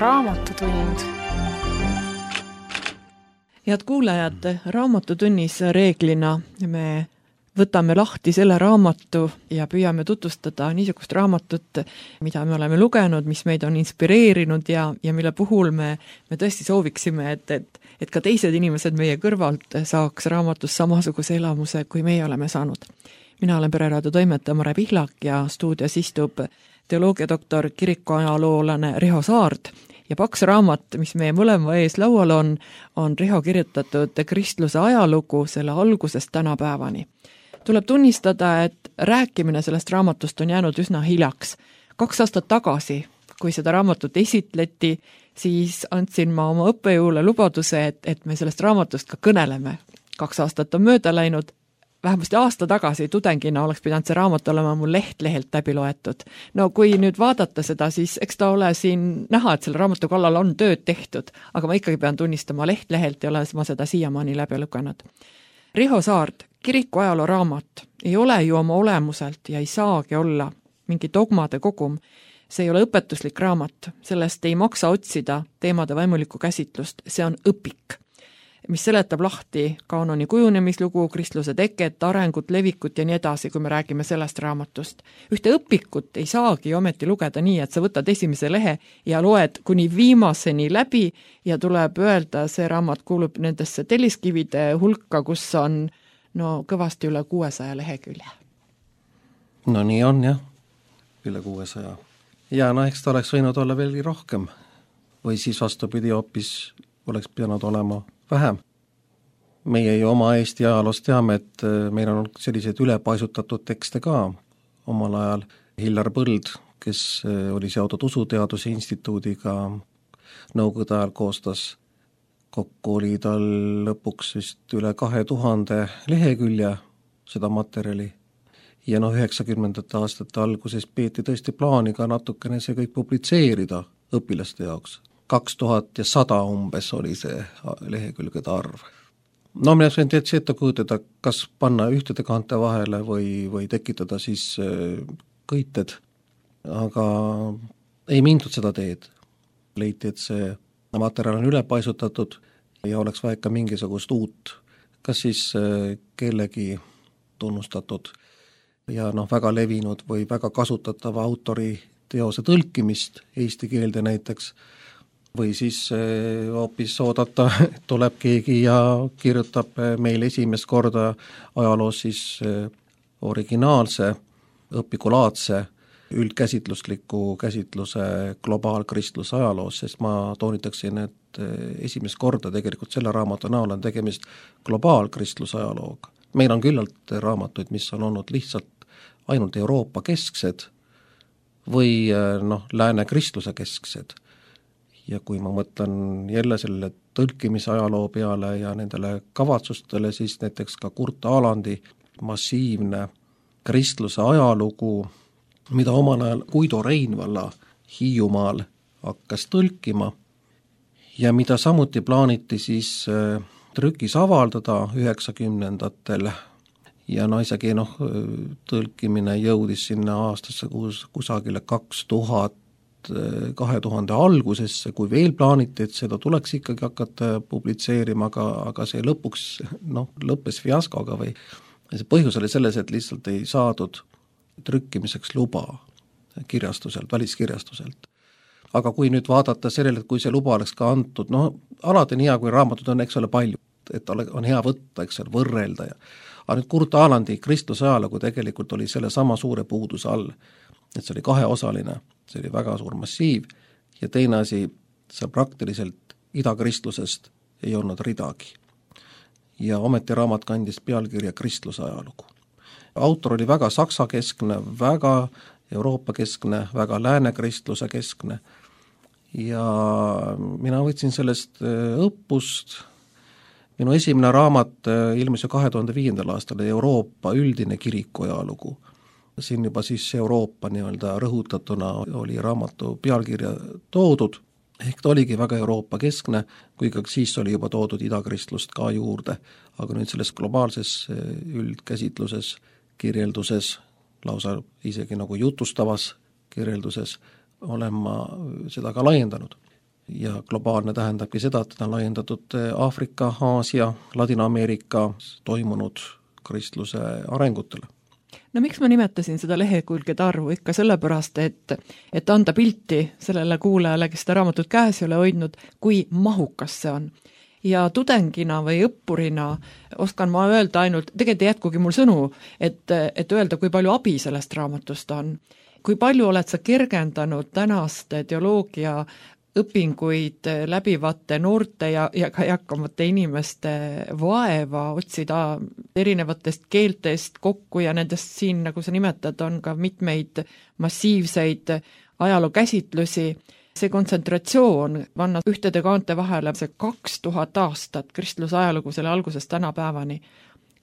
Raamatutund. Head kuulajad, raamatutunnis reeglina me võtame lahti selle raamatu ja püüame tutvustada niisugust raamatut, mida me oleme lugenud, mis meid on inspireerinud ja mille puhul me tõesti sooviksime, et ka teised inimesed meie kõrvalt saaks raamatus samasuguse elamuse, kui meie oleme saanud. Mina olen Pereraadio toimetaja Mare Pihlak ja stuudios istub teoloogiadoktor, kirikuajaloolane Riho Saard ja paks raamat, mis meie mõlema ees laual on Riho kirjutatud kristluse ajalugu selle algusest tänapäevani. Tuleb tunnistada, et rääkimine sellest raamatust on jäänud üsna hiljaks. 2 aastat tagasi, kui seda raamatut esitleti, siis andsin ma oma õppejõule lubaduse, et me sellest raamatust ka kõneleme. 2 aastat on mööda läinud. Vähemasti aasta tagasi tudengina oleks pidanud see raamat olema mul lehelt läbi loetud. No kui nüüd vaadata seda, siis eks ta ole siin näha, et selle raamatu kallal on tööd tehtud, aga ma ikkagi pean tunnistama lehelt ja olen ma seda siiamaani läbi lugenud. Riho Saard, kirikuajaloo raamat ei ole ju oma olemuselt ja ei saagi olla mingi dogmade kogum. See ei ole õpetuslik raamat, sellest ei maksa otsida teemade vaimulikku käsitlust, see on õpik, mis seletab lahti kaanoni kujunemislugu, kristluse teket, arengut, levikut ja nii edasi, kui me räägime sellest raamatust. Ühte õpikut ei saagi ometi lugeda nii, et sa võtad esimese lehe ja loed kuni viimaseni läbi ja tuleb öelda, see raamat kuulub nendesse telliskivide hulka, kus on kõvasti üle 600 lehekülje. No nii on jah, üle 600. Ja eks ta oleks võinud olla veelgi rohkem või siis vastupidi hoopis oleks pidanud olema vähem. Meie ju oma Eesti ajaloos teame, et meil on selliseid ülepaisutatud tekste ka. Omal ajal Hillar Põld, kes oli seotud Usuteaduse instituudiga, nõukogude ajal koostas, kokku oli tal lõpuks vist üle 2000 lehekülje seda materjali. Ja 90. aastate alguses peeti tõesti plaani ka natukene see kõik publitseerida õpilaste jaoks. 2100 umbes oli see lehekülgede arv. Mina sain täitsa ette kujutada, kas panna ühtede kaante vahele või tekitada siis kõited, aga ei mindud seda teed. Leiti, et see materjal on ülepaisutatud ja oleks vaja ka mingisugust uut, kas siis kellegi tunnustatud ja väga levinud või väga kasutatava autori teose tõlkimist eesti keelde näiteks, või siis hoopis oodata, tuleb keegi ja kirjutab meil esimest korda ajaloos siis originaalse, õpikulaadse, üldkäsitlusliku käsitluse globaalkristluse ajaloos, sest ma toonitaksin, et esimest korda tegelikult selle raamatu näol on tegemist globaalkristluse ajalooga. Meil on küllalt raamatuid, mis on olnud lihtsalt ainult Euroopa kesksed või lääne kristluse kesksed. Ja kui ma mõtlen jälle selle tõlkimise ajaloo peale ja nendele kavatsustele, siis näiteks ka Kurt Alandi massiivne kristluse ajalugu, mida omal ajal Guido Reinvalla Hiiumaal hakkas tõlkima ja mida samuti plaaniti siis trükis avaldada 90-ndatel ja isegi tõlkimine jõudis sinna aastasse kusagile 2000 algusesse, kui veel plaaniti, et seda tuleks ikkagi hakata publitseerima, aga see lõpuks lõppes fiaskoga või see põhjus oli selles, et lihtsalt ei saadud trükkimiseks luba kirjastuselt, väliskirjastuselt. Aga kui nüüd vaadata sellele, et kui see luba oleks ka antud, alati on hea, kui raamatud on, eks ole, palju, et on hea võtta, eks ole, võrrelda. Aga nüüd Kurt Alandi kristluse ajalugu tegelikult oli selle sama suure puuduse all, et see oli 2-osaline, see oli väga suur massiiv ja teine asi, see praktiliselt idakristlusest ei olnud ridagi. Ja ometi raamat kandis pealkirja kristluse ajalugu. Autor oli väga saksakeskne, väga Euroopa keskne, väga lääne kristluse keskne ja mina võtsin sellest õppust. Minu esimene raamat ilmus 2005. aastal Euroopa üldine kirikuajalugu. Siin juba siis Euroopa rõhutatuna oli raamatu pealkirja toodud, ehk ta oligi väga Euroopa keskne, kuigi siis oli juba toodud idakristlust ka juurde, aga nüüd selles globaalses üldkäsitluses, kirjelduses, lausa isegi jutustavas kirjelduses olen ma seda ka laiendanud. ja globaalne tähendabki seda, et ta on laiendatud Aafrika, Aasia, Ladina-Ameerika toimunud kristluse arengutele. No miks ma nimetasin seda lehekülgede arvu? Ikka sellepärast, et anda pilti sellele kuulajale, kes seda raamatut käes ei ole hoidnud, kui mahukas see on. Ja tudengina või õppurina oskan ma öelda ainult, tegelikult ei jätkugi mul sõnu, et öelda, kui palju abi sellest raamatust on. Kui palju oled sa kergendanud tänaste teoloogia õpinguid läbivate noorte ja ka eakamate inimeste vaeva otsida erinevatest keeltest kokku ja nendest siin, nagu sa nimetad, on ka mitmeid massiivseid ajalookäsitlusi. See kontsentratsioon panna ühtede kaante vahele, see 2000 aastat kristluse ajalugu selle algusest tänapäevani.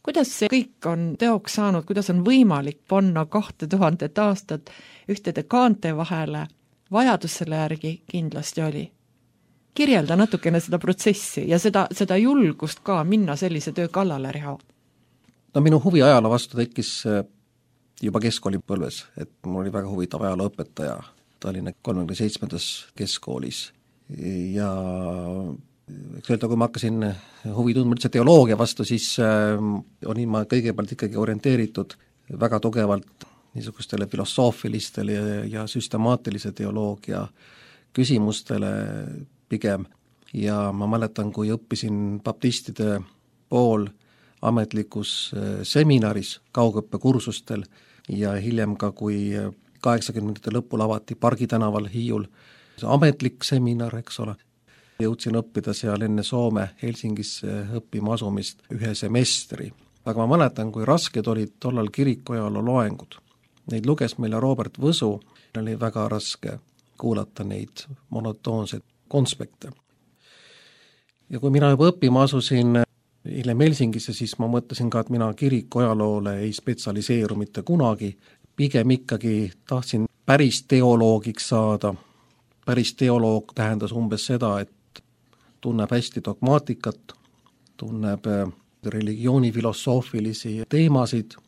Kuidas see kõik on teoks saanud, kuidas on võimalik panna 2000 aastat ühtede kaante vahele? Vajadus selle järgi kindlasti oli. Kirjelda natukene seda protsessi ja seda julgust ka minna sellise töö kallale, Riho. No minu huvi ajaloo vastu tekkis juba keskkoolipõlves, et mul oli väga huvitav ajalooõpetaja Tallinna 37. keskkoolis ja eks öelda, kui ma hakkasin huvi tundma üldse teoloogia vastu, siis olin ma kõigepealt ikkagi orienteeritud väga tugevalt niisugustele filosoofilistele ja süstemaatilise teoloogia küsimustele pigem ja ma mäletan, kui õppisin baptistide pool ametlikus seminaris, kaugõppekursustel ja hiljem ka, kui 80. lõpul avati Pargi tänaval Hiiul ametlik seminar, eks ole. Jõudsin õppida seal enne Soome Helsingisse õppima asumist ühe semestri. Aga ma mäletan, kui rasked olid tollal kirikuajaloo loengud. Neid luges meile Robert Võsu, oli väga raske kuulata neid monotoonseid konspekte. Ja kui mina juba õppima asusin hiljem Helsingisse, siis ma mõtlesin ka, et mina kirikuajaloole ei spetsialiseeru mitte kunagi, pigem ikkagi tahtsin päris teoloogiks saada. Päris teoloog tähendas umbes seda, et tunneb hästi dogmaatikat, tunneb religiooni filosoofilisi teemasid,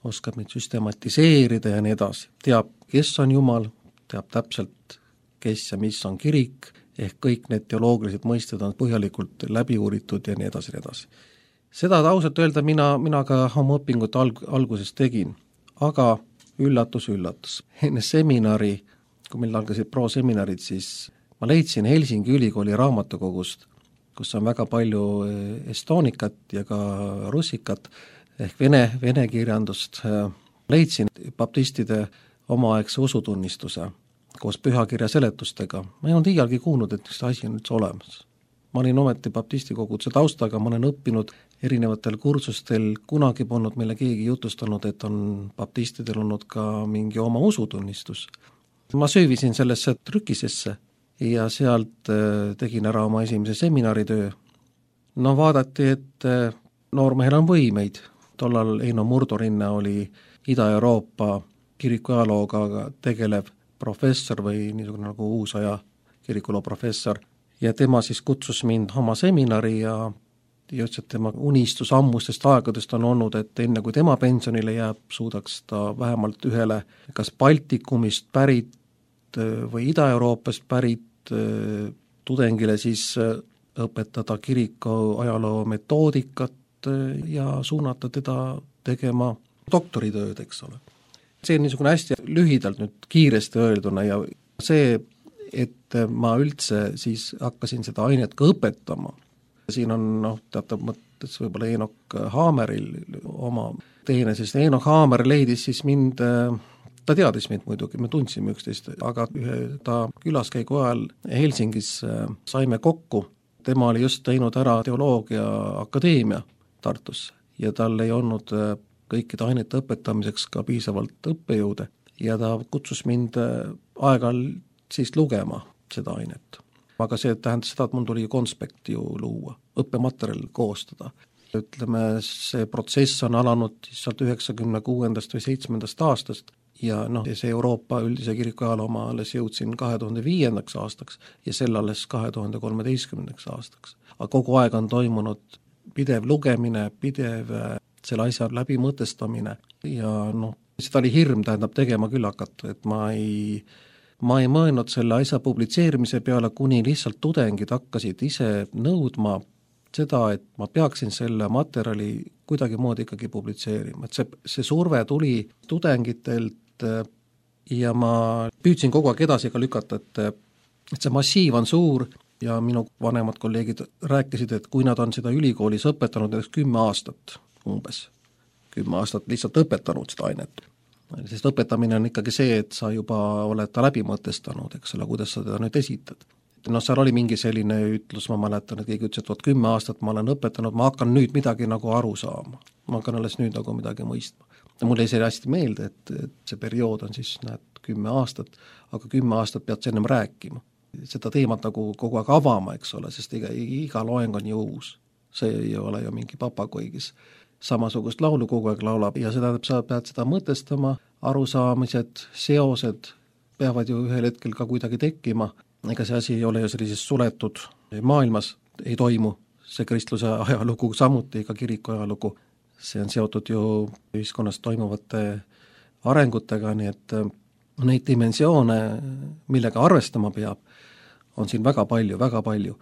oskab neid süstematiseerida ja nii edasi. Teab, kes on Jumal, teab täpselt, kes ja mis on kirik, ehk kõik need teoloogilised mõisted on põhjalikult läbi uuritud ja nii edasi, nii edasi. Seda ausalt öelda mina ka oma õpingut alguses tegin, aga üllatus. Enne seminari, kui meil algasid proseminarid, siis ma leidsin Helsingi ülikooli raamatukogust, kus on väga palju estonikat ja ka russikat, ehk vene kirjandust. Leidsin baptistide omaaegse usutunnistuse koos pühakirja seletustega. Ma ei olnud iialgi kuulnud, et see asi on üldse olemas. Ma olin ometi baptisti koguduse taustaga, ma olen õppinud erinevatel kursustel, kunagi polnud meile keegi jutustanud, et on baptistidel olnud ka mingi oma usutunnistus. Ma söövisin sellesse trükisesse ja sealt tegin ära oma esimese seminaritöö. No vaadati, et noormehel on võimeid. Tollal Eino Murdorinne oli Ida-Euroopa kirikuajalooga tegelev professor või niisugune nagu uusaja kirikuloo professor. Ja tema siis kutsus mind oma seminari ja ütles, et tema unistus ammustest aegadest on olnud, et enne kui tema pensionile jääb, suudaks ta vähemalt ühele kas Baltikumist pärit või Ida-Euroopast pärit tudengile siis õpetada kiriku ajaloo metoodikat ja suunata teda tegema doktoritööd, eks ole. See on niisugune hästi lühidalt nüüd kiiresti öelduna ja see, et ma üldse siis hakkasin seda ainet ka õpetama. Siin on teatav mõttes võib-olla Eenok Haameril oma teine, sest Eenok Haamer leidis siis mind, ta teadis mind muidugi, me tundsime üksteist, aga ühe ta külaskäigu ajal Helsingis saime kokku. Tema oli just teinud ära teoloogia akadeemia Tartusse ja tal ei olnud kõikide ainete õpetamiseks ka piisavalt õppejõude ja ta kutsus mind aeg-ajalt siis lugema seda ainet. Aga see tähendas seda, et mul tuli konspekti ju luua, õppematerjal koostada. Ütleme, see protsess on alanud sealt 96. või 7. aastast ja see Euroopa üldise kirikuajaloo ma alles jõudsin 2005. aastaks ja sel alles 2013. aastaks. Aga kogu aeg on toimunud pidev lugemine, pidev selle asja läbimõtestamine ja seda oli hirm, tähendab tegema küll hakata, et ma ei ma ei mõelnud selle asja publitseerimise peale, kuni lihtsalt tudengid hakkasid ise nõudma seda, et ma peaksin selle materjali kuidagimoodi ikkagi publitseerima, et see surve tuli tudengitelt ja ma püüdsin kogu aeg edasi ka lükata, et see massiiv on suur ja minu vanemad kolleegid rääkisid, et kui nad on seda ülikoolis õpetanud näiteks 10 aastat umbes, 10 aastat lihtsalt õpetanud seda ainet, sest õpetamine on ikkagi see, et sa juba oled ta läbi mõtestanud, eks ole, kuidas sa teda nüüd esitad. Noh, seal oli mingi selline ütlus, ma mäletan, et keegi ütles, et 10 aastat ma olen õpetanud, ma hakkan nüüd midagi nagu aru saama. Ma hakkan alles nüüd nagu midagi mõistma. Ja mulle jäi see hästi meelde, et see periood on siis 10 aastat, aga 10 aastat pead ennem rääkima. Seda teemat nagu kogu aeg avama, eks ole, sest iga loeng on ju uus. See ei ole ju mingi papagoi, kes samasugust laulu kogu aeg laulab ja seda sa pead seda mõtestama, arusaamised, seosed peavad ju ühel hetkel ka kuidagi tekkima. Ega see asi ei ole ju sellises suletud maailmas, ei toimu see kristluse ajalugu samuti, ega kiriku ajalugu. See on seotud ju ühiskonnas toimuvate arengutega, nii et neid dimensioone, millega arvestama peab, on siin väga palju, väga palju.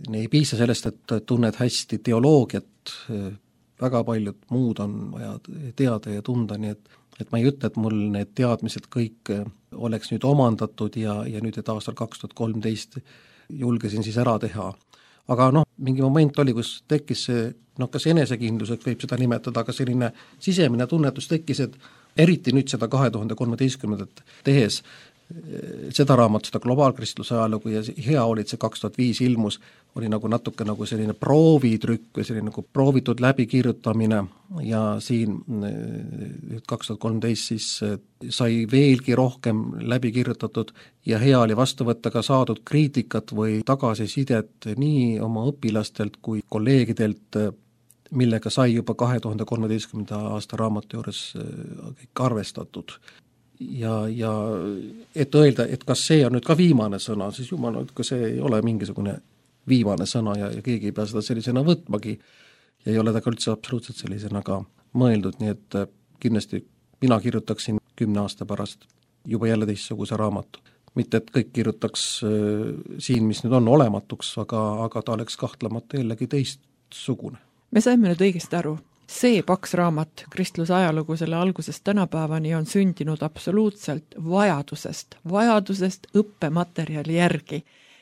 Ei piisa sellest, et tunned hästi teoloogiat, väga paljud muud on vaja teada ja tunda, nii et ma ei ütle, et mul need teadmised kõik oleks nüüd omandatud ja nüüd, et aastal 2013 julgesin siis ära teha. Aga mingi moment oli, kus tekkis see, kas enesekindluseks võib seda nimetada, aga selline sisemine tunnetus tekkis, et eriti nüüd seda 2013 tehes, seda raamat, seda globaalkristluse ajalugu ja hea oli, et see 2005 ilmus, oli nagu natuke nagu selline proovitrükk või selline nagu proovitud läbikirjutamine ja siin 2013 siis sai veelgi rohkem läbikirjutatud ja hea oli vastu võtta ka saadud kriitikat või tagasisidet nii oma õpilastelt kui kolleegidelt, millega sai juba 2013. aasta raamatu juures kõik arvestatud. Ja et öelda, et kas see on nüüd ka viimane sõna, siis jumal, kui see ei ole mingisugune viimane sõna ja keegi ei pea seda sellisena võtmagi ja ei ole ta ka üldse absoluutselt sellisena ka mõeldud, nii et kindlasti mina kirjutaksin 10 aasta pärast juba jälle teistsuguse raamatu. Mitte, et kõik kirjutaks siin, mis nüüd on olematuks, aga ta oleks kahtlemata jällegi teistsugune. Me saime nüüd õigesti aru. See paks raamat, kristluse ajalugu selle algusest tänapäevani on sündinud absoluutselt vajadusest õppematerjali järgi.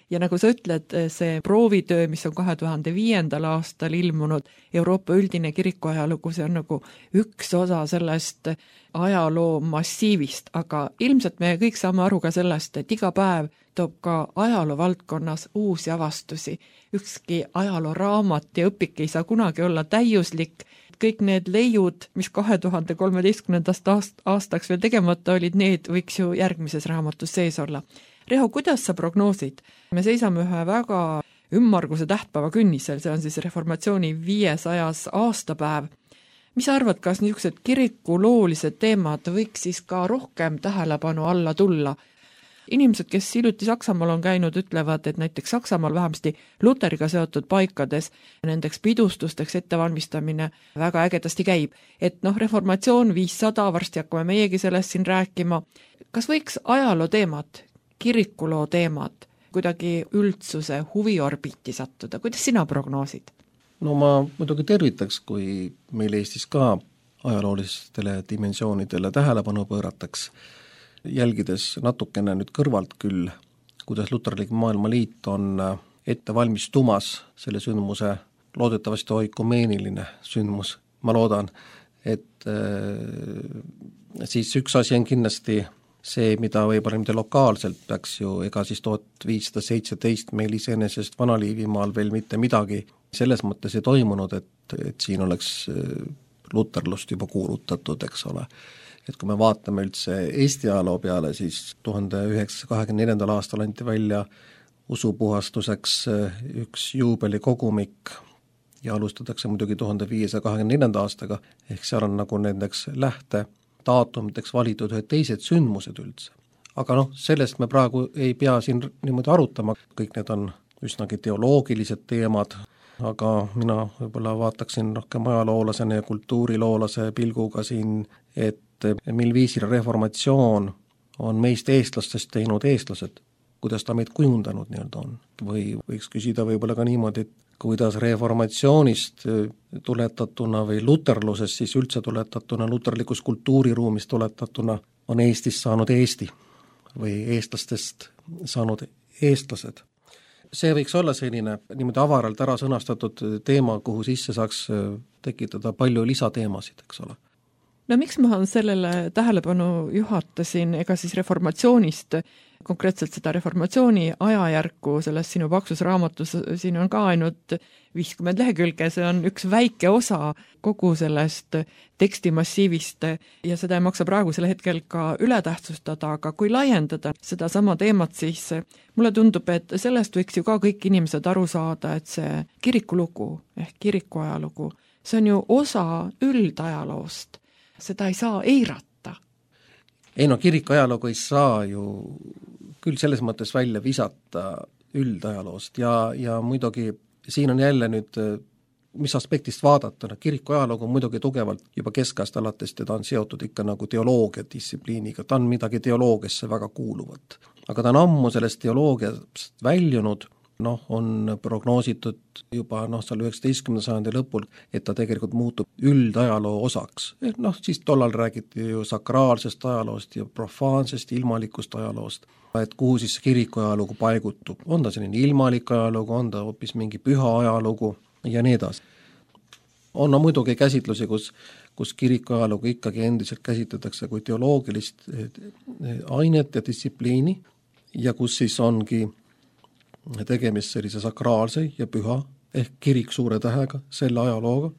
Ja nagu sa ütled, see proovitöö, mis on 2005. aastal ilmunud Euroopa üldine kirikuajalugu, see on nagu üks osa sellest ajaloo massiivist, aga ilmselt me kõik saame aru ka sellest, et iga päev toob ka ajaloo valdkonnas uusi avastusi. Ükski ajaloo raamat ja õpik ei saa kunagi olla täiuslik. Kõik need leiud, mis 2013. aastaks veel tegemata olid, need võiks ju järgmises raamatus sees olla. Reho, kuidas sa prognoosid? Me seisame ühe väga ümmarguse tähtpäeva künnisel, see on siis reformatsiooni 500. aastapäev. Mis sa arvad, kas niisugused kirikuloolised teemad võiks siis ka rohkem tähelepanu alla tulla? Inimesed, kes hiljuti Saksamaal on käinud, ütlevad, et näiteks Saksamaal vähemasti luteriga seotud paikades nendeks pidustusteks ettevalmistamine väga ägedasti käib. Et reformatsioon 500, varsti hakkame meiegi sellest siin rääkima. Kas võiks ajaloo teemad, kirikuloo teemad kuidagi üldsuse huviorbiiti sattuda? Kuidas sina prognoosid? No ma muidugi tervitaks, kui meil Eestis ka ajaloolistele dimensioonidele tähelepanu pöörataks, jälgides natukene nüüd kõrvalt küll, kuidas Luterlik Maailmaliit on ette valmistumas selle sündmuse, loodetavasti oikumeeniline sündmus, ma loodan, et siis üks asi on kindlasti see, mida võib-olla mitte lokaalselt peaks ju, ega siis 1517 meil iseenesest Vana-Liivimaal veel mitte midagi selles mõttes ei toimunud, et siin oleks luterlust juba kuulutatud, eks ole. Et kui me vaatame üldse Eesti ajaloo peale, siis 1924. aastal anti välja usupuhastuseks üks juubelikogumik ja alustatakse muidugi 1524. aastaga, ehk seal on nagu nendeks lähtedaatumideks valitud ühed teised sündmused üldse. Aga sellest me praegu ei pea siin niimoodi arutama, kõik need on üsnagi teoloogilised teemad, aga mina võib-olla vaataksin rohkem ajaloolasena ja kultuuriloolase pilguga siin, et mil viisil reformatsioon on meist eestlastest teinud eestlased, kuidas ta meid kujundanud nii-öelda on. Või võiks küsida võib-olla ka niimoodi, et kuidas reformatsioonist tuletatuna või luterlusest siis üldse tuletatuna, luterlikust kultuuriruumist tuletatuna on Eestist saanud Eesti või eestlastest saanud eestlased. See võiks olla selline niimoodi avaralt ära sõnastatud teema, kuhu sisse saaks tekitada palju lisateemasid, eks ole. No miks ma sellele tähelepanu juhatasin, ega siis reformatsioonist, konkreetselt seda reformatsiooni ajajärku selles sinu paksus raamatus, siin on ka ainult 50 lehekülge, see on üks väike osa kogu sellest tekstimassiivist ja seda ei maksa praegusel hetkel ka ületähtsustada, aga kui laiendada seda sama teemat, siis mulle tundub, et sellest võiks ju ka kõik inimesed aru saada, et see kirikulugu ehk kirikuajalugu, see on ju osa üldajaloost. Seda ei saa eirata. Ei no kirikuajalugu ei saa ju küll selles mõttes välja visata üldajaloost ja muidugi siin on jälle nüüd, mis aspektist vaadata, kirikuajalugu on muidugi tugevalt juba keskajast alates, teda on seotud ikka nagu teoloogia distsipliiniga, ta on midagi teoloogiasse väga kuuluvat. Aga ta on ammu sellest teoloogiast väljunud, on prognoositud juba seal 19. sajandi lõpul, et ta tegelikult muutub üldajaloo osaks. Siis tollal räägiti ju sakraalsest ajaloost ja profaansest ilmalikust ajaloost, et kuhu siis kirikuajalugu paigutub. On ta selline ilmalik ajalugu, on ta hoopis mingi püha ajalugu ja nii edasi. On muidugi käsitlusi, kus kirikuajalugu ikkagi endiselt käsitletakse kui teoloogilist ainet ja distsipliini ja kus siis ongi tegemist sellise sakraalse ja püha ehk kirik suure tähega selle ajalooga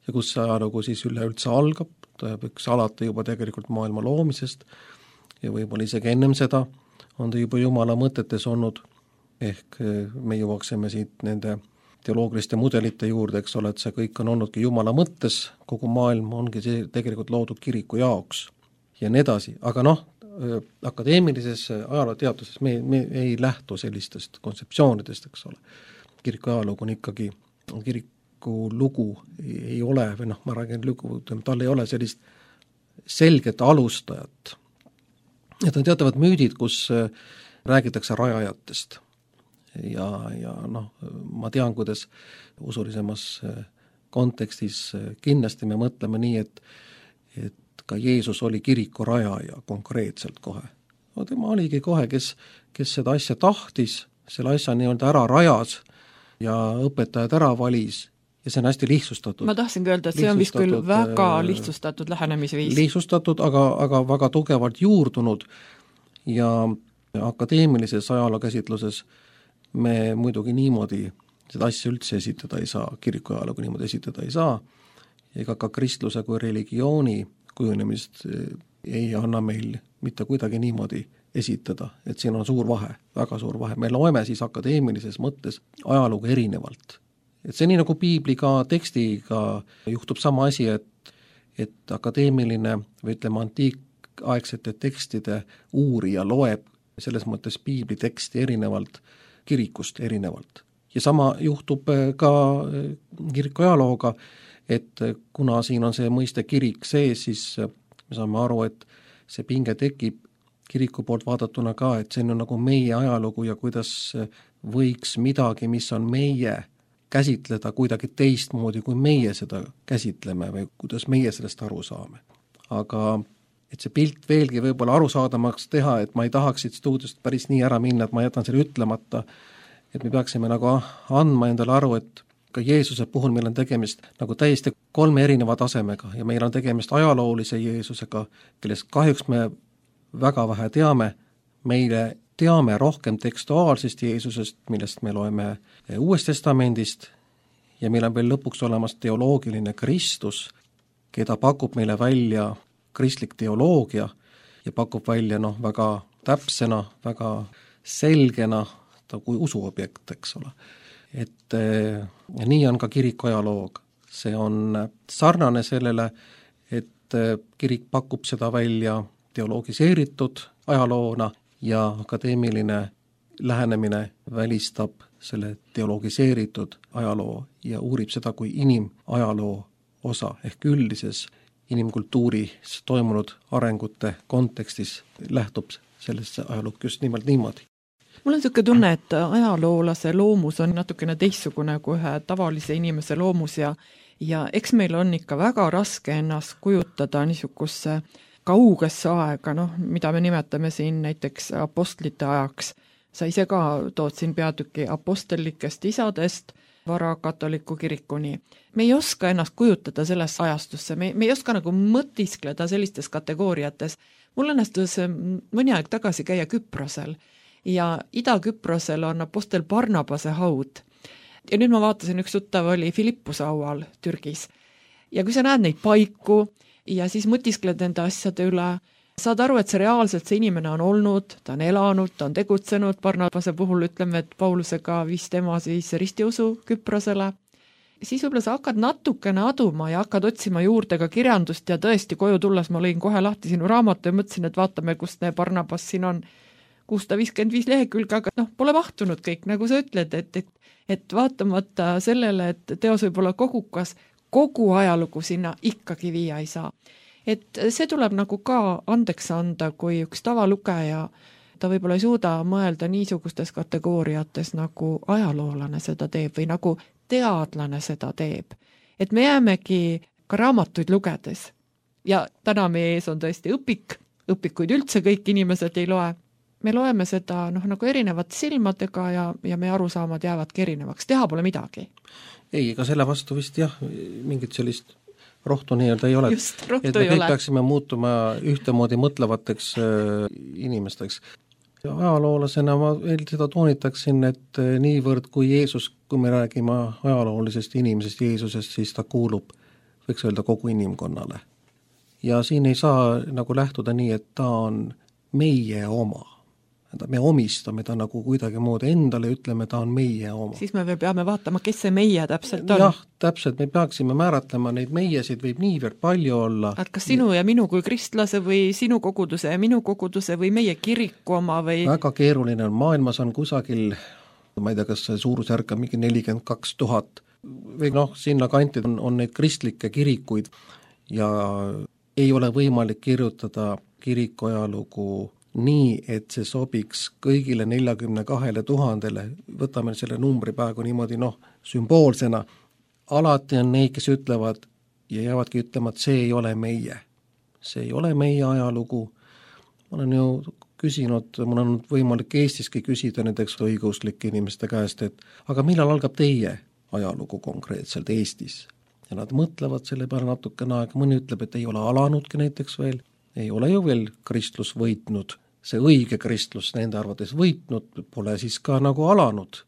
ja kus see ajalugu siis üleüldse algab, ta võiks alata juba tegelikult maailma loomisest ja võib-olla isegi ennem seda on ta juba Jumala mõtetes olnud, ehk me jõuaksime siit nende teoloogiliste mudelite juurde, eks ole, et see kõik on olnudki Jumala mõttes, kogu maailm ongi see tegelikult loodud kiriku jaoks ja nii edasi, aga akadeemilises ajalooteaduses me ei lähtu sellistest kontseptsioonidest, eks ole. Kiriku ajalugu on ikkagi, kiriku lugu ei ole, või ma räägin lugu, tal ei ole sellist selget alustajat. Et on teatavad müüdid, kus räägitakse rajajatest ja ma tean, kuidas usulisemas kontekstis kindlasti me mõtleme nii, et ka Jeesus oli kiriku rajaja konkreetselt kohe. Tema oligi kohe, kes seda asja tahtis, selle asja nii-öelda ära rajas ja õpetajad ära valis ja see on hästi lihtsustatud. Ma tahtsingi öelda, et see on vist küll väga lihtsustatud lähenemisviis. Lihtsustatud, aga väga tugevalt juurdunud ja akadeemilises ajalookäsitluses me muidugi niimoodi seda asja üldse esitada ei saa, kiriku ajalugu niimoodi esitada ei saa, ega ka kristluse kui religiooni kujunemist ei anna meil mitte kuidagi niimoodi esitada, et siin on suur vahe, väga suur vahe. Me loeme siis akadeemilises mõttes ajalugu erinevalt. Et see nii nagu piibliga tekstiga juhtub sama asi, et akadeemiline või ütleme antiikaegsete tekstide uurija loeb selles mõttes piibli teksti erinevalt, kirikust erinevalt. Ja sama juhtub ka kiriku ajalooga, et kuna siin on see mõiste kirik sees, siis me saame aru, et see pinge tekib kiriku poolt vaadatuna ka, et see on nagu meie ajalugu ja kuidas võiks midagi, mis on meie, käsitleda kuidagi teistmoodi, kui meie seda käsitleme või kuidas meie sellest aru saame. Aga et see pilt veelgi võib-olla arusaadamaks teha, et ma ei tahaks siit stuudiost päris nii ära minna, et ma jätan selle ütlemata, et me peaksime nagu andma endale aru, et ka Jeesuse puhul meil on tegemist nagu täiesti 3 erineva tasemega ja meil on tegemist ajaloolise Jeesusega, kellest kahjuks me väga vähe teame, meile teame rohkem tekstuaalsest Jeesusest, millest me loeme Uuest Testamendist ja meil on veel lõpuks olemas teoloogiline Kristus, keda pakub meile välja kristlik teoloogia ja pakub välja väga täpsena, väga selgena ta kui usuobjekt, eks ole. Et nii on ka kiriku ajaloog. See on sarnane sellele, et kirik pakub seda välja teologiseeritud ajaloona ja akadeemiline lähenemine välistab selle teologiseeritud ajaloo ja uurib seda kui inimajaloo osa ehk üldises inimkultuuris toimunud arengute kontekstis lähtub sellesse ajalukku just nimelt niimoodi. Mul on niisugune tunne, et ajaloolase loomus on natukene teistsugune kui ühe tavalise inimese loomus ja eks meil on ikka väga raske ennast kujutada niisugusse kaugesse aega, mida me nimetame siin näiteks apostlite ajaks. Sa ise ka tood siin peatüki apostellikest isadest varakatoliku kirikuni. Me ei oska ennast kujutada sellesse ajastusse, me ei oska nagu mõtiskleda sellistes kategooriates. Mul õnnestus mõni aeg tagasi käia Küprosel ja Ida-Küprosel on apostel Barnabase haud. Ja nüüd ma vaatasin, üks tuttav oli Philippuse haual Türgis. Ja kui sa näed neid paiku ja siis mõtiskled enda asjade üle, saad aru, et see reaalselt see inimene on olnud, ta on elanud, ta on tegutsenud, Barnabase puhul ütleme, et Paulusega viis tema siis ristiusu Küprosele. Siis võib-olla sa hakkad natukene aduma ja hakkad otsima juurde ka kirjandust ja tõesti koju tulles ma lõin kohe lahti sinu raamatu ja mõtlesin, et vaatame, kust ne Barnabas siin on 655 lehekülge, aga pole mahtunud kõik, nagu sa ütled, et vaatamata sellele, et teos võib olla kogukas, kogu ajalugu sinna ikkagi viia ei saa. Et see tuleb nagu ka andeks anda, kui üks tavalugeja, ta võib-olla ei suuda mõelda niisugustes kategooriates, nagu ajaloolane seda teeb või nagu teadlane seda teeb. Et me jäämegi ka raamatuid lugedes. Ja täna meie ees on tõesti õpikuid üldse kõik inimesed ei loe. Me loeme seda nagu erinevate silmadega ja meie arusaamad jäävadki erinevaks. Teha pole midagi. Ei, ega selle vastu vist jah, mingit sellist rohtu nii-öelda ei ole. Just, rohtu et me ei kõik ole. peaksime muutuma ühtemoodi mõtlevateks inimesteks. Ajaloolasena ma veel seda toonitaksin, et niivõrd kui Jeesus, kui me räägime ajaloolisest inimesest Jeesusest, siis ta kuulub, võiks öelda, kogu inimkonnale. Ja siin ei saa nagu lähtuda nii, et ta on meie oma. Me omistame ta nagu kuidagi moodi endale, ütleme, ta on meie oma. Siis me veel peame vaatama, kes see meie täpselt on. Jah, täpselt, me peaksime määratlema, neid meiesid võib niivõrd palju olla. Et kas sinu ja minu kui kristlase või sinu koguduse ja minu koguduse või meie kiriku oma või... Väga keeruline on, maailmas on kusagil, ma ei tea, kas see suurusjärk on mingi 42 000 või sinna kanti on neid kristlikke kirikuid ja ei ole võimalik kirjutada kiriku ajalugu nii, et see sobiks kõigile 42 000, võtame selle numbri praegu niimoodi sümboolsena, alati on neid, kes ütlevad ja jäävadki ütlema, et see ei ole meie. See ei ole meie ajalugu. Ma olen ju küsinud, mul on võimalik Eestiski küsida näiteks õiguslike inimeste käest, et aga millal algab teie ajalugu konkreetselt Eestis? Ja nad mõtlevad selle peale natukene aega, mõni ütleb, et ei ole alanudki näiteks veel. Ei ole ju veel kristlus võitnud, see õige kristlus nende arvates võitnud, pole siis ka nagu alanud.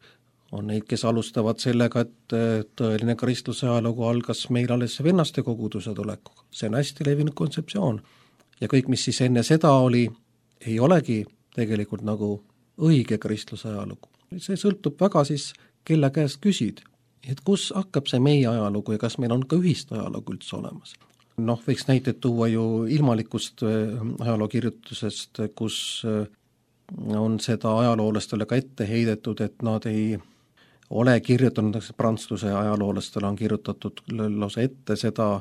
On neid, kes alustavad sellega, et tõeline kristluse ajalugu algas meil alles vennaste koguduse tulekuga. See on hästi levinud kontseptsioon. Ja kõik, mis siis enne seda oli, ei olegi tegelikult nagu õige kristluse ajalugu. See sõltub väga siis, kelle käest küsid, et kus hakkab see meie ajalugu ja kas meil on ka ühist ajalugu üldse olemas. Võiks näiteid tuua ju ilmalikust ajalookirjutusest, kus on seda ajaloolastele ka ette heidetud, et nad ei ole kirjutanud, prantsluse ajaloolastele on kirjutatud lausa ette seda,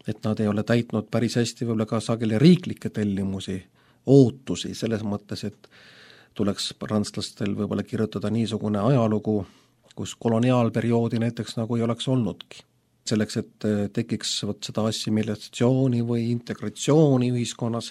et nad ei ole täitnud päris hästi võib-olla ka sageli riiklikke tellimusi, ootusi, selles mõttes, et tuleks prantslastel võib-olla kirjutada niisugune ajalugu, kus koloniaalperioodi näiteks nagu ei oleks olnudki. Selleks, et tekiks seda assimilatsiooni või integratsiooni ühiskonnas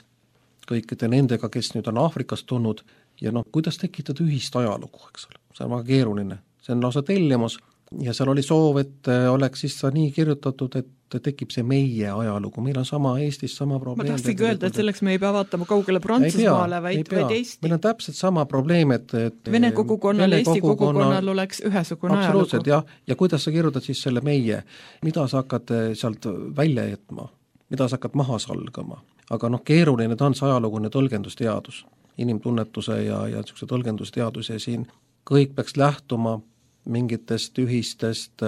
kõikide nendega, kes nüüd on Aafrikast tulnud ja kuidas tekitada ühist ajalugu, eks ole. See on väga keeruline, see on lausa tellimus ja seal oli soov, et oleks siis nii kirjutatud, et tekib see meie ajalugu, meil on sama Eestis sama probleem. Ma tahtsingi öelda, et selleks me ei pea vaatama kaugele Prantsusmaale, vaid Eesti. Meil on täpselt sama probleem, et Vene kogukonnal ja Eesti kogukonnal oleks ühesugune ajalugu. Ja kuidas sa kirjutad siis selle meie, mida sa hakkad sealt välja jätma, mida sa hakkad maha salgama, aga keeruline ta on see ajalugune tõlgendusteadus, inimtunnetuse ja tõlgendusteadus ja siin kõik peaks lähtuma mingitest ühistest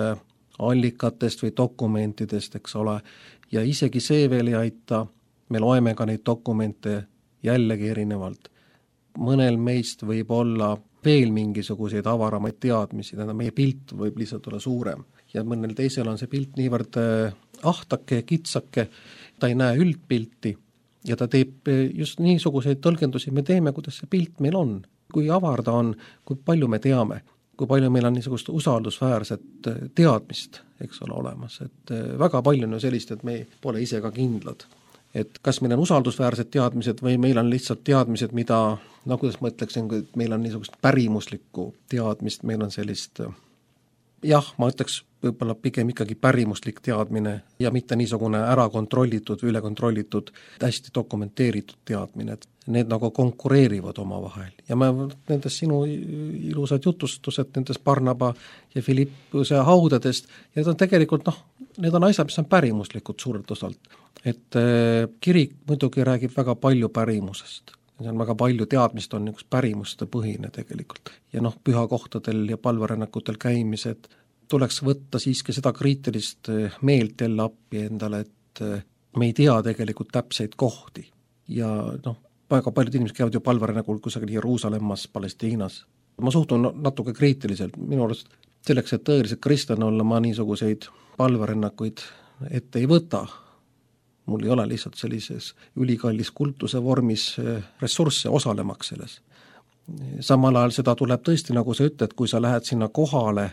allikatest või dokumentidest, eks ole, ja isegi see veel ei aita, me loeme ka neid dokumente jällegi erinevalt. Mõnel meist võib olla veel mingisuguseid avaramaid teadmisi, meie pilt võib lihtsalt olla suurem ja mõnel teisel on see pilt niivõrd ahtake ja kitsake, ta ei näe üldpilti ja ta teeb just niisuguseid tõlgendusi, me teeme, kuidas see pilt meil on, kui avar ta on, kui palju me teame, kui palju meil on niisugust usaldusväärset teadmist, eks ole, olemas, et väga palju on ju sellist, et me pole ise ka kindlad. Et kas meil on usaldusväärsed teadmised või meil on lihtsalt teadmised, mida, no kuidas ma ütleksin, et meil on niisugust pärimuslikku teadmist, meil on sellist, jah, ma ütleks võib-olla pigem ikkagi pärimuslik teadmine ja mitte niisugune ära kontrollitud või üle kontrollitud, hästi dokumenteeritud teadmine, et need nagu konkureerivad omavahel. Ja ma nendes sinu ilusad jutustused, nendes Barnaba ja Philippuse haudadest, ja need on tegelikult, need on asjad, mis on pärimuslikud suurelt osalt. Et kirik muidugi räägib väga palju pärimusest. See on väga palju teadmist, on üks pärimuste põhine tegelikult. Ja pühakohtadel ja palverännakutel käimised tuleks võtta siiski seda kriitilist meelt jälle appi endale, et me ei tea tegelikult täpseid kohti. Ja väga paljud inimesed käivad ju palverännakul kusagil Jeruusalemmas, Palestiinas. Ma suhtun natuke kriitiliselt, minu arust selleks, et tõeliselt kristlane olla, ma niisuguseid palverännakuid ette ei võta. Mul ei ole lihtsalt sellises ülikallis kultuse vormis ressursse osalemaks selles. Samal ajal seda tuleb tõesti, nagu sa ütled, kui sa lähed sinna kohale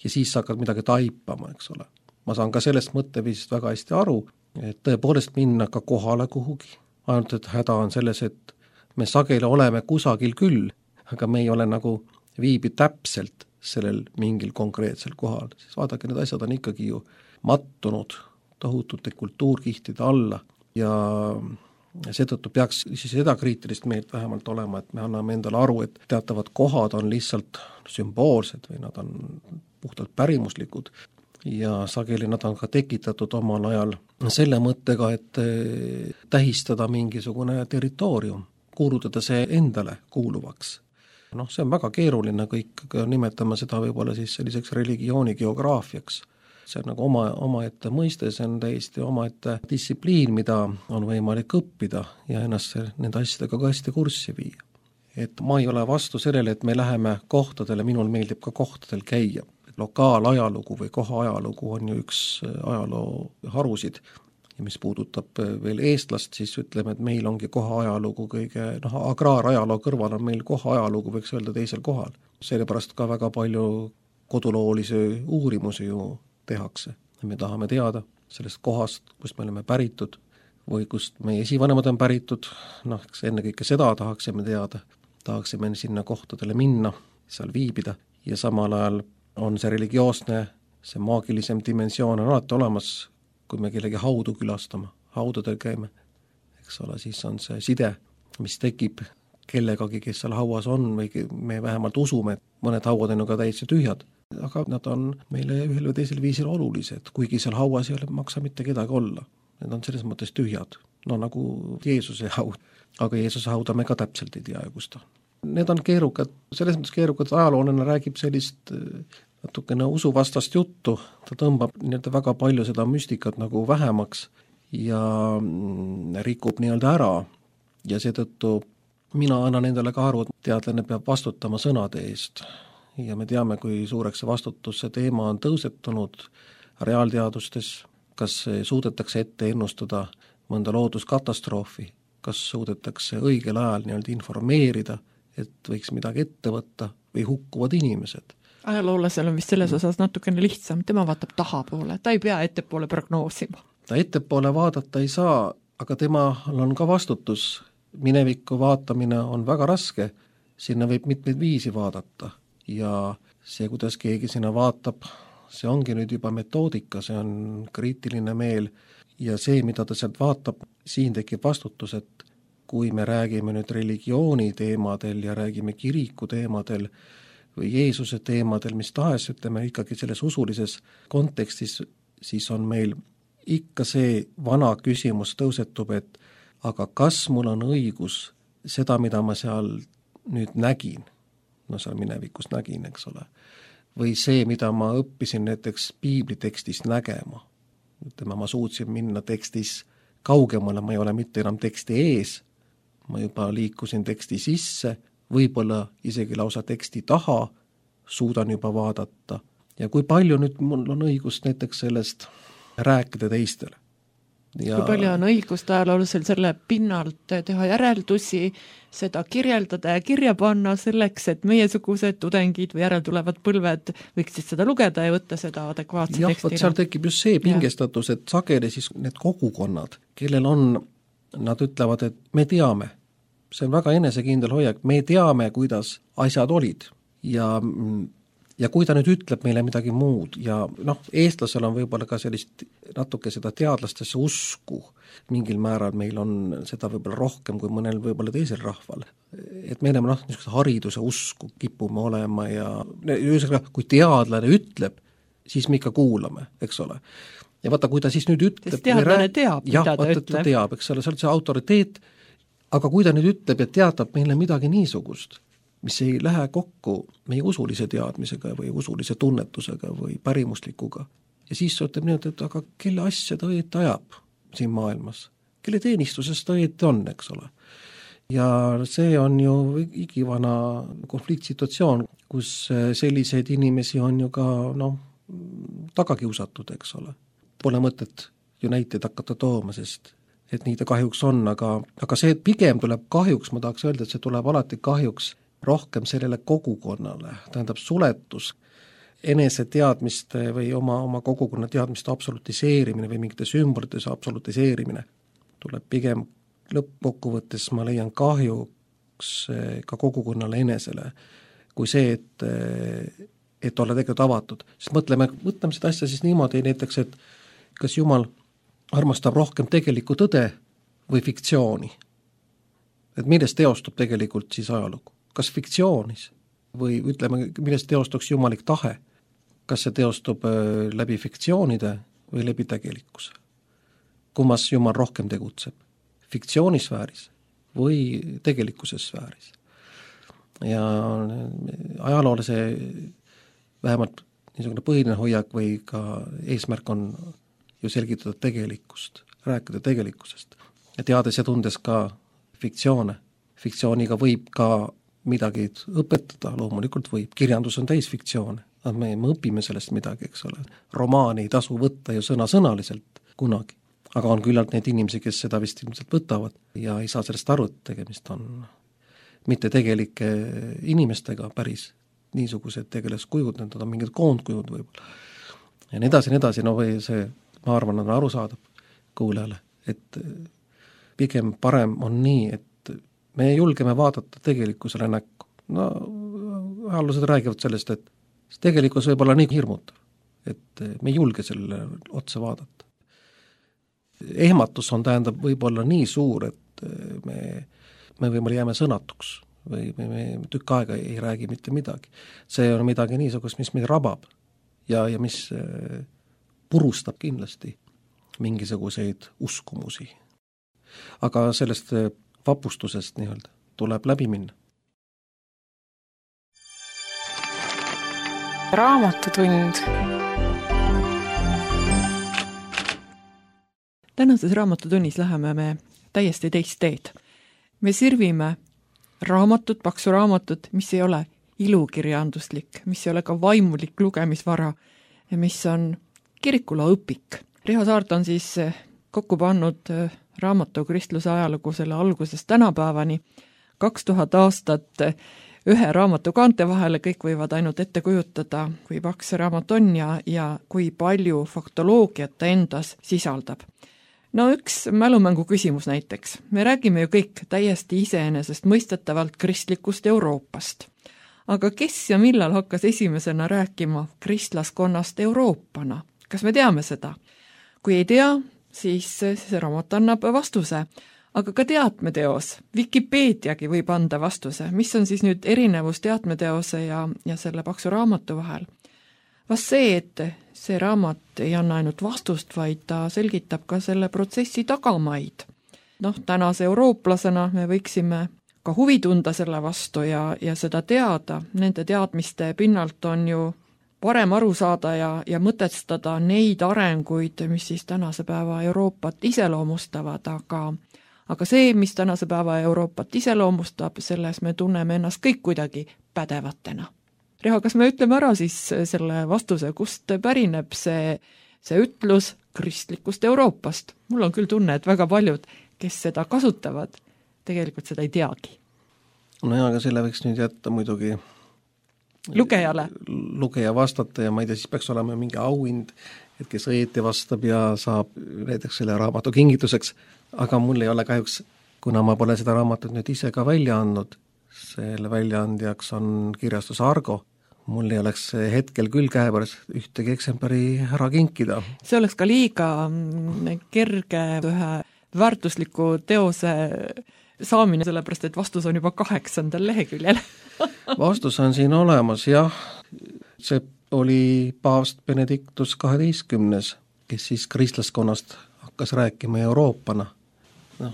ja siis sa hakkad midagi taipama, eks ole. Ma saan ka sellest mõtteviisist väga hästi aru, et tõepoolest minna ka kohale kuhugi. Ainult, et häda on selles, et me sageli oleme kusagil küll, aga me ei ole nagu viibi täpselt sellel mingil konkreetsel kohal. Siis vaadake, need asjad on ikkagi ju mattunud tohutute kultuurkihtide alla ja seetõttu peaks siis seda kriitilist meelt vähemalt olema, et me anname endale aru, et teatavad kohad on lihtsalt sümboolsed või nad on puhtalt pärimuslikud ja sageli nad on ka tekitatud omal ajal selle mõttega, et tähistada mingisugune territoorium, kuulutada see endale kuuluvaks. See on väga keeruline kõik, nimetame seda võib-olla siis selliseks religiooni geograafiaks. See on nagu omaette mõiste, see on täiesti omaette distsipliin, mida on võimalik õppida ja ennast nende asjadega ka hästi kurssi viia. Et ma ei ole vastu sellele, et me läheme kohtadele, minul meeldib ka kohtadel käia. Lokaalajalugu või koha ajalugu on ju üks ajaloo harusid ja mis puudutab veel eestlast, siis ütleme, et meil ongi koha ajalugu kõige, agraarajaloo kõrval on meil koha ajalugu, võiks öelda teisel kohal. Sellepärast ka väga palju koduloolisi uurimusi ju tehakse. Me tahame teada sellest kohast, kust me oleme päritud või kust meie esivanemad on päritud, ennekõike seda tahaksime teada, tahaksime sinna kohtadele minna, seal viibida ja samal ajal on see religioosne, see maagilisem dimensioon on alati olemas, kui me kellegi haudu külastama, haudadel käime, eks ole, siis on see side, mis tekib kellegagi, kes seal hauas on või me vähemalt usume, et mõned hauad on ju ka täitsa tühjad. Aga nad on meile ühel või teisel viisil olulised, kuigi seal hauas ei ole maksa mitte kedagi olla. Need on selles mõttes tühjad, nagu Jeesuse haud, aga Jeesuse hauda me ka täpselt ei tea, kus ta. Need on keerukad, selles mõttes keerukad, ajaloolane räägib sellist natukene usuvastast juttu, ta tõmbab väga palju seda müstikat nagu vähemaks ja rikub ära ja seetõttu mina annan endale ka aru, et teadlane peab vastutama sõnade eest. Ja me teame, kui suureks see vastutus, see teema on tõusetunud reaalteadustes, kas suudetakse ette ennustada mõnda looduskatastroofi, kas suudetakse õigel ajal informeerida, et võiks midagi ette võtta või hukkuvad inimesed. Ajaloolasel on vist selles osas natukene lihtsam, tema vaatab tahapoole, ta ei pea ettepoole prognoosima. Ta ettepoole vaadata ei saa, aga temal on ka vastutus. Minevikku vaatamine on väga raske, sinna võib mitmeid viisi vaadata. Ja see, kuidas keegi sinna vaatab, see ongi nüüd juba metoodika, see on kriitiline meel ja see, mida ta sealt vaatab, siin tekib vastutus, et kui me räägime nüüd religiooni teemadel ja räägime kiriku teemadel või Jeesuse teemadel, mis tahes, ütleme ikkagi selles usulises kontekstis, siis on meil ikka see vana küsimus tõusetub, et aga kas mul on õigus seda, mida ma seal nüüd nägin, seal minevikus nägin, eks ole, või see, mida ma õppisin näiteks piiblitekstist nägema. Ütleme, ma suutsin minna tekstis kaugemale, ma ei ole mitte enam teksti ees, ma juba liikusin teksti sisse, võib-olla isegi lausa teksti taha, suudan juba vaadata. Ja kui palju nüüd mul on õigust näiteks sellest rääkida teistele. Ja kui palju on õigust ajaloolasel selle pinnalt teha järeldusi, seda kirjeldada ja kirja panna selleks, et meiesugused tudengid või järeltulevad põlved võiksid seda lugeda ja võtta seda adekvaatse tekstina. Seal tekib just see pingestatus, et sageli siis need kogukonnad, kellel on, nad ütlevad, et me teame, see on väga enesekindel hoiak, me teame, kuidas asjad olid ja kui ta nüüd ütleb meile midagi muud ja eestlasel on võib-olla ka sellist natuke seda teadlastesse usku, mingil määral meil on seda võib-olla rohkem kui mõnel võib-olla teisel rahval. Et me enam niisuguse hariduse usku kipume olema ja kui teadlane ütleb, siis me ikka kuulame, eks ole. Ja vaata, kui ta siis nüüd ütleb... Sest teadlane teab, mida ta ütleb. Ta teab, eks ole, see on see autoriteet, aga kui ta nüüd ütleb ja teatab meile midagi niisugust, mis ei lähe kokku meie usulise teadmisega või usulise tunnetusega või pärimuslikuga. Ja siis ütleb nii, et aga kelle asja ta õieti ajab siin maailmas? Kelle teenistuses ta õieti on, eks ole? Ja see on ju igivana konfliktsituatsioon, kus selliseid inimesi on ju ka tagakiusatud, eks ole. Pole mõtet ju näiteid hakata tooma, sest et nii ta kahjuks on, aga see pigem tuleb kahjuks, ma tahaks öelda, et see tuleb alati kahjuks rohkem sellele kogukonnale, tähendab suletus, enese teadmiste või oma kogukonna teadmiste absolutiseerimine või mingite sümbolites absolutiseerimine tuleb pigem lõppkokkuvõttes, ma leian kahjuks ka kogukonnale enesele, kui see, et olla tegelikult avatud. Sest mõtleme seda asja siis niimoodi näiteks, et kas Jumal armastab rohkem tegelikku tõde või fiktsiooni. Et millest teostub tegelikult siis ajalugu? Kas fiktsioonis või ütleme, millest teostuks jumalik tahe, kas see teostub läbi fiktsioonide või läbi tegelikkuse. Kummas Jumal rohkem tegutseb, fiktsioonisfääris või tegelikkuse sfääris. Ja ajaloolase vähemalt niisugune põhiline hoiak või ka eesmärk on ju selgitada tegelikkust, rääkida tegelikkusest ja teades ja tundes ka fiktsioone. Fiktsiooniga võib ka midagi õpetada, loomulikult võib, kirjandus on täis fiktsioone, me õpime sellest midagi, eks ole. Romaani ei tasu võtta ju sõnasõnaliselt kunagi, aga on küllalt need inimesi, kes seda vist ilmselt võtavad ja ei saa sellest aru, et tegemist on mitte tegelike inimestega päris niisugused tegelaskujud, need on mingid koondkujud võib-olla. Ja nii edasi, või see, ma arvan, on arusaadav kuulajale, et pigem parem on nii, et me julgeme vaadata tegelikkusele näkku. Ajaloolased räägivad sellest, et tegelikkus võib olla nii hirmutav, et me ei julge sellele otsa vaadata. Ehmatus on tähendab võib-olla nii suur, et me võib-olla jääme sõnatuks või me tükk aega ei räägi mitte midagi. See on midagi niisugust, mis meid rabab ja mis purustab kindlasti mingisuguseid uskumusi. Aga sellest vapustusest nii-öelda tuleb läbi minna. Raamatutund. Tänases raamatutunnis läheme me täiesti teist teed. Me sirvime raamatut, paksu raamatut, mis ei ole ilukirjanduslik, mis ei ole ka vaimulik lugemisvara ja mis on kirikula õpik. Riho Saart on siis kokku pannud raamatu kristluse ajalugu selle algusest tänapäevani, 2000 aastat ühe raamatu kaante vahele, kõik võivad ainult ette kujutada, kui paks see raamat on ja kui palju faktoloogiat ta endas sisaldab. No üks mälumängu küsimus näiteks. Me räägime ju kõik täiesti iseenesest mõistetavalt kristlikust Euroopast. Aga kes ja millal hakkas esimesena rääkima kristlaskonnast Euroopana? Kas me teame seda? Kui ei tea, siis see raamat annab vastuse. Aga ka teatmeteos, Wikipeediagi võib anda vastuse, mis on siis nüüd erinevus teatmeteose ja selle paksu raamatu vahel. Vast see, et see raamat ei anna ainult vastust, vaid ta selgitab ka selle protsessi tagamaid. Tänase eurooplasena me võiksime ka huvi tunda selle vastu ja seda teada. Nende teadmiste pinnalt on ju parem aru saada ja mõtestada neid arenguid, mis siis tänase päeva Euroopat iseloomustavad, aga see, mis tänase päeva Euroopat iseloomustab, selles me tunneme ennast kõik kuidagi pädevatena. Riho, kas me ütleme ära siis selle vastuse, kust pärineb see ütlus, kristlikust Euroopast. Mul on küll tunne, et väga paljud, kes seda kasutavad, tegelikult seda ei teagi. No ja, aga selle võiks nüüd jätta muidugi lugeja vastata ja ma ei tea, siis peaks olema mingi auhind, et kes õieti vastab ja saab näiteks selle raamatu kingituseks, aga mul ei ole kahjuks, kuna ma pole seda raamatut nüüd ise ka välja andnud, selle väljaandjaks on kirjastus Argo, mul ei oleks hetkel küll käepärast ühtegi eksemplari ära kinkida. See oleks ka liiga kerge ühe väärtusliku teose saamine, sellepärast et vastus on juba 8. leheküljel. Vastus on siin olemas, jah. See oli paavst Benedictus 12, kes siis kristlaskonnast hakkas rääkima Euroopana.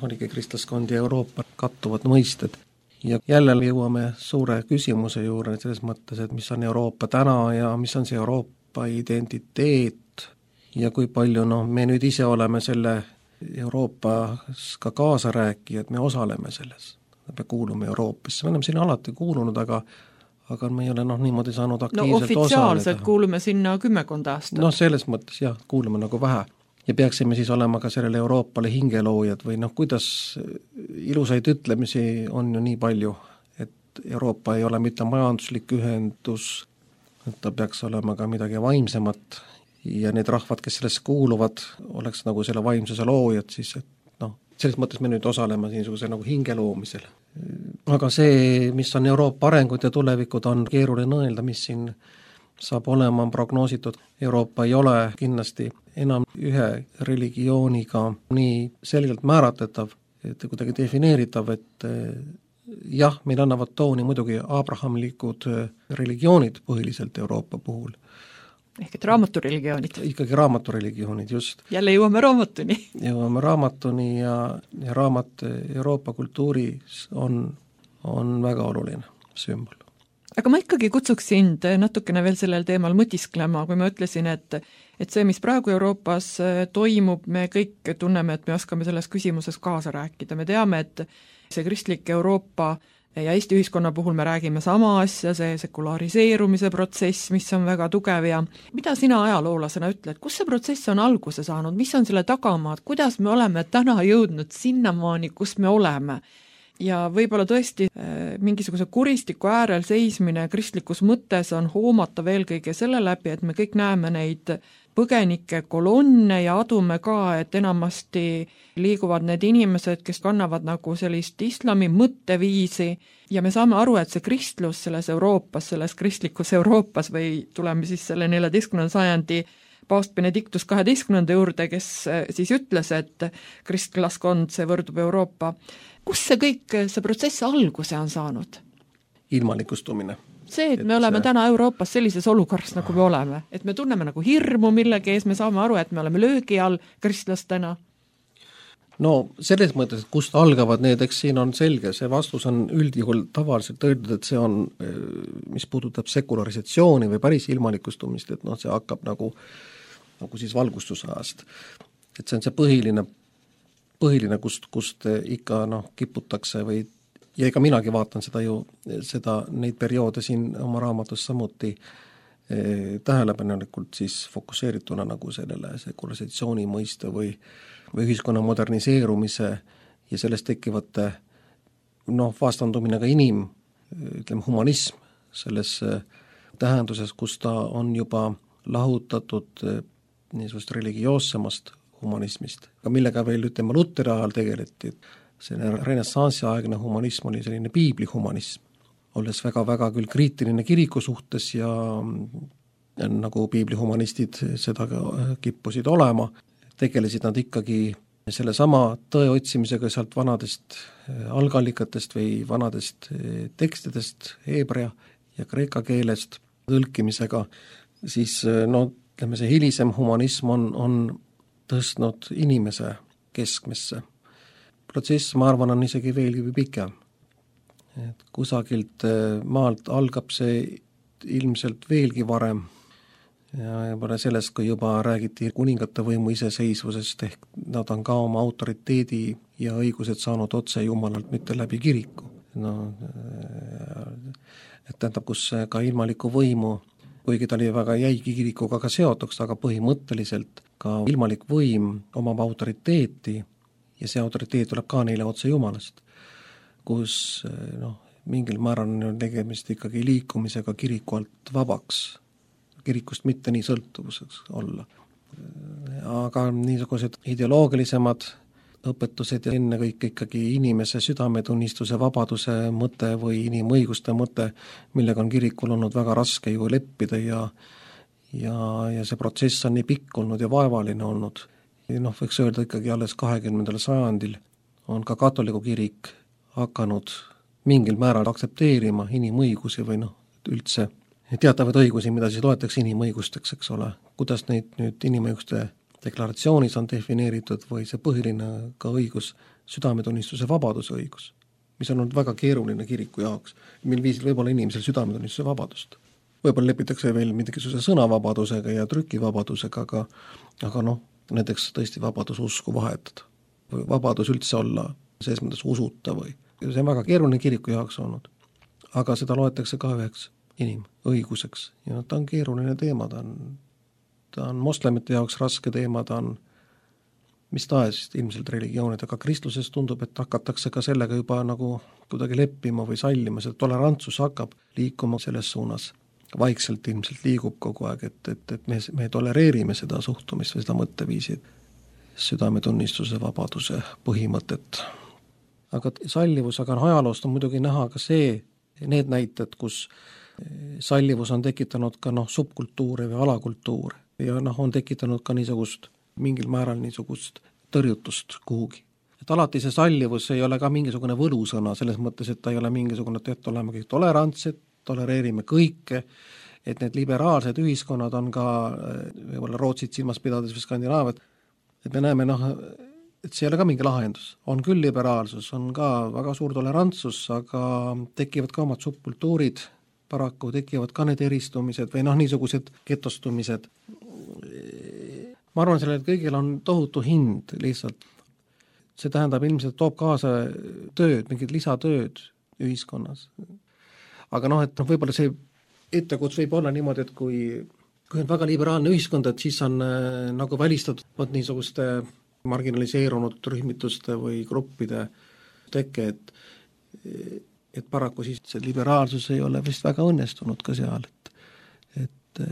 Oligi kristlaskond ja Euroopa kattuvad mõisted. Ja jälle jõuame suure küsimuse juurde selles mõttes, et mis on Euroopa täna ja mis on see Euroopa identiteet ja kui palju me nüüd ise oleme selle Euroopas ka kaasa rääkijad, me osaleme selles. Me kuulume Euroopasse, me oleme sinna alati kuulunud, aga me ei ole niimoodi saanud aktiivselt ofitsiaalselt osaleda. Kuulume sinna 10 aastat. Selles mõttes jah, kuulume nagu vähe. Ja peaksime siis olema ka sellele Euroopale hingeloojad või kuidas ilusaid ütlemisi on ju nii palju, et Euroopa ei ole mitte majanduslik ühendus, et ta peaks olema ka midagi vaimsemat ja need rahvad, kes sellest kuuluvad, oleks nagu selle vaimsuse loojad siis, et selles mõttes me nüüd osaleme niisuguse nagu hingeloomisel. Aga see, mis on Euroopa arengud ja tulevikud, on keeruline öelda, mis siin saab olema prognoositud. Euroopa ei ole kindlasti enam ühe religiooniga nii selgelt määratletav, et kuidagi defineeritav, et jah, meil annavad tooni muidugi abrahamlikud religioonid põhiliselt Euroopa puhul. Ehk et raamatureligioonid. Ikkagi raamatureligioonid, just. Jälle jõuame raamatuni. Jõuame raamatuni ja raamat Euroopa kultuuris on väga oluline sümbol. Aga ma ikkagi kutsuks sind natukene veel sellel teemal mõtisklema, kui ma ütlesin, et see, mis praegu Euroopas toimub, me kõik tunneme, et me oskame selles küsimuses kaasa rääkida. Me teame, et see kristlik Euroopa ja Eesti ühiskonna puhul me räägime sama asja, see sekulariseerumise protsess, mis on väga tugev ja mida sina ajaloolasena ütled, kus see protsess on alguse saanud, mis on selle tagamaad, kuidas me oleme täna jõudnud sinnamaani, kus me oleme? Ja võib-olla tõesti mingisuguse kuristiku äärel seismine kristlikus mõttes on hoomatav eelkõige selle läbi, et me kõik näeme neid põgenike kolonne ja adume ka, et enamasti liiguvad need inimesed, kes kannavad nagu sellist islami mõtteviisi ja me saame aru, et see kristlus selles Euroopas, selles kristlikus Euroopas või tuleme siis selle 14. sajandi paavst Benedictus 12. juurde, kes siis ütles, et kristlaskond, see võrdub Euroopa. Kus see kõik, see protsess alguse on saanud? Ilmalikustumine. See, et me oleme täna Euroopas sellises olukorras, nagu me oleme. Et me tunneme nagu hirmu millegi ees, me saame aru, et me oleme löögi all kristlastena. No selles mõttes, et kust algavad need, eks siin on selge, see vastus on üldjuhul tavaliselt öeldud, et see on, mis puudutab sekularisatsiooni või päris ilmalikustumist, et see hakkab nagu siis valgustusajast. Et see on see põhiline, kust ikka kiputakse või ja ega minagi vaatan neid perioode siin oma raamatus samuti tähelepanelikult siis fokusseerituna nagu sellele sekularisatsiooni mõiste või ühiskonna moderniseerumise ja sellest tekivate vastandumine ka humanism selles tähenduses, kus ta on juba lahutatud niisugust religioossemast humanismist, aga millega veel Luteri ajal tegeleti. Selline renessansi aegne humanism oli selline piiblihumanism, olles väga-väga küll kriitiline kiriku suhtes ja nagu piiblihumanistid seda kippusid olema, tegelesid nad ikkagi sellesama tõe otsimisega sealt vanadest algallikatest või vanadest tekstidest, heebrea ja kreeka keelest tõlkimisega, siis see hilisem humanism on tõstnud inimese keskmesse. Protsess, ma arvan, on isegi veelgi pikem. Et kusagilt maalt algab see ilmselt veelgi varem ja juba sellest, kui juba räägiti kuningate võimu iseseisvusest, ehk nad on ka oma autoriteedi ja õigused saanud otse Jumalalt, mitte läbi kiriku. Et tähendab, kus ka ilmaliku võimu, kuigi ta oli väga jäigi kirikuga ka seotuks, aga põhimõtteliselt ka ilmalik võim omab autoriteeti ja see autoriteet tuleb ka neile otse Jumalast, kus mingil määral on tegemist ikkagi liikumisega kiriku alt vabaks, kirikust mitte nii sõltuvuseks olla. Aga niisugused ideoloogilisemad õpetused ja ennekõike ikkagi inimese südametunnistuse vabaduse mõte või inimõiguste mõte, millega on kirikul olnud väga raske ju leppida ja see protsess on nii pikk olnud ja vaevaline olnud. Võiks öelda ikkagi alles 20. sajandil on ka katoliku kirik hakanud mingil määral aktsepteerima inimõigusi või üldse teatavaid õigusi, mida siis loetakse inimõigusteks, eks ole. Kuidas neid nüüd inimõiguste deklaratsioonis on defineeritud või see põhiline ka õigus, südametunnistuse vabaduse õigus, mis on olnud väga keeruline kiriku jaoks, mil viisil võib-olla inimesel südametunnistuse vabadust. Võib-olla lepitakse veel mingisuguse sõnavabadusega ja trükivabadusega, aga näiteks tõesti vabadus usku vahetada või vabadus üldse olla selles mõttes usuta või see on väga keeruline kiriku jaoks olnud, aga seda loetakse ka üheks inimõiguseks ja ta on keeruline teema, ta on moslemite jaoks raske teema, ta on mis tahes ilmselt religioonid, aga kristluses tundub, et hakatakse ka sellega juba nagu kuidagi leppima või sallima, see tolerantsus hakkab liikuma selles suunas, vaikselt ilmselt liigub kogu aeg, et me tolereerime seda suhtumist või seda mõtteviisi, südametunnistuse vabaduse põhimõtet. Aga sallivus, aga ajaloost on muidugi näha ka need näited, kus sallivus on tekitanud ka subkultuure või alakultuure ja on tekitanud ka mingil määral niisugust tõrjutust kuhugi. Et alati see sallivus ei ole ka mingisugune võlusõna selles mõttes, et ta ei ole mingisugune, et oleme kõik tolerantsed, tolereerime kõike, et need liberaalsed ühiskonnad on ka võib-olla Rootsit silmas pidades või Skandinaaviat, et me näeme, et see ei ole ka mingi lahendus. On küll liberaalsus, on ka väga suur tolerantsus, aga tekivad ka omad subkultuurid, paraku tekivad ka need eristumised või niisugused getostumised. Ma arvan, sellel kõigil on tohutu hind lihtsalt. See tähendab ilmselt toob kaasa tööd, mingid lisatööd ühiskonnas. Aga et võib-olla see ettekuts võib olla niimoodi, et kui on väga liberaalne ühiskond, et siis on nagu välistatud niisuguste marginaliseerunud rühmituste või gruppide teke, et paraku siis see liberaalsus ei ole vist väga õnnestunud ka seal, et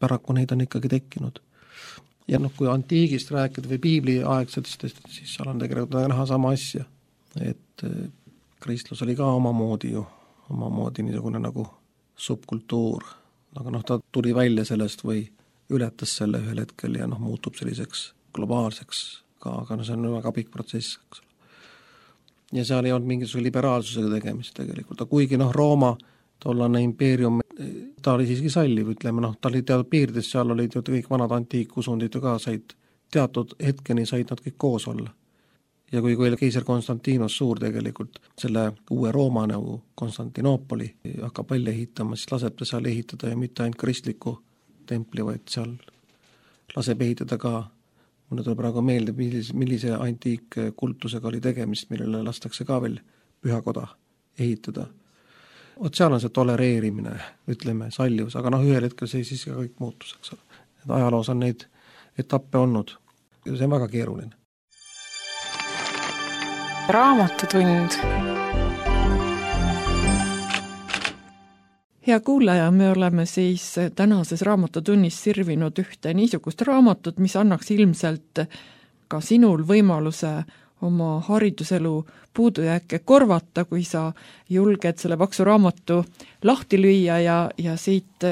paraku neid on ikkagi tekkinud. Ja kui antiigist rääkida või piibliaegsetest, siis seal on tegelikult näha sama asja, et kristlus oli ka omamoodi niisugune nagu subkultuur, aga ta tuli välja sellest või ületas selle ühel hetkel ja muutub selliseks globaalseks ka, aga see on väga pikk protsess, eks ole. Ja seal ei olnud mingisuguse liberaalsusega tegemist tegelikult, aga kuigi Rooma tollane impeerium, ta oli siiski salliv, ütleme, ta oli teatud piirides, seal olid ju kõik vanad antiikusundid ka said, teatud hetkeni said nad kõik koos olla. Ja kui keiser Konstantinos suur tegelikult selle uue Rooma nagu Konstantinoopoli hakkab välja ehitama, siis laseb ta seal ehitada ja mitte ainult kristliku templi, vaid seal laseb ehitada ka, mulle tuleb praegu meelde, millise antiikkultusega oli tegemist, millele lastakse ka veel pühakoda ehitada. Seal on see tolereerimine, ütleme, sallivus, aga ühel hetkel see siis ka kõik muutus, eks ole. Et ajaloos on neid etappe olnud ja see on väga keeruline. Raamatutund. Hea kuulaja, me oleme siis tänases raamatutunnis sirvinud ühte niisugust raamatut, mis annaks ilmselt ka sinul võimaluse oma hariduselu puudujääke korvata, kui sa julged selle paksu raamatu lahti lüüa ja siit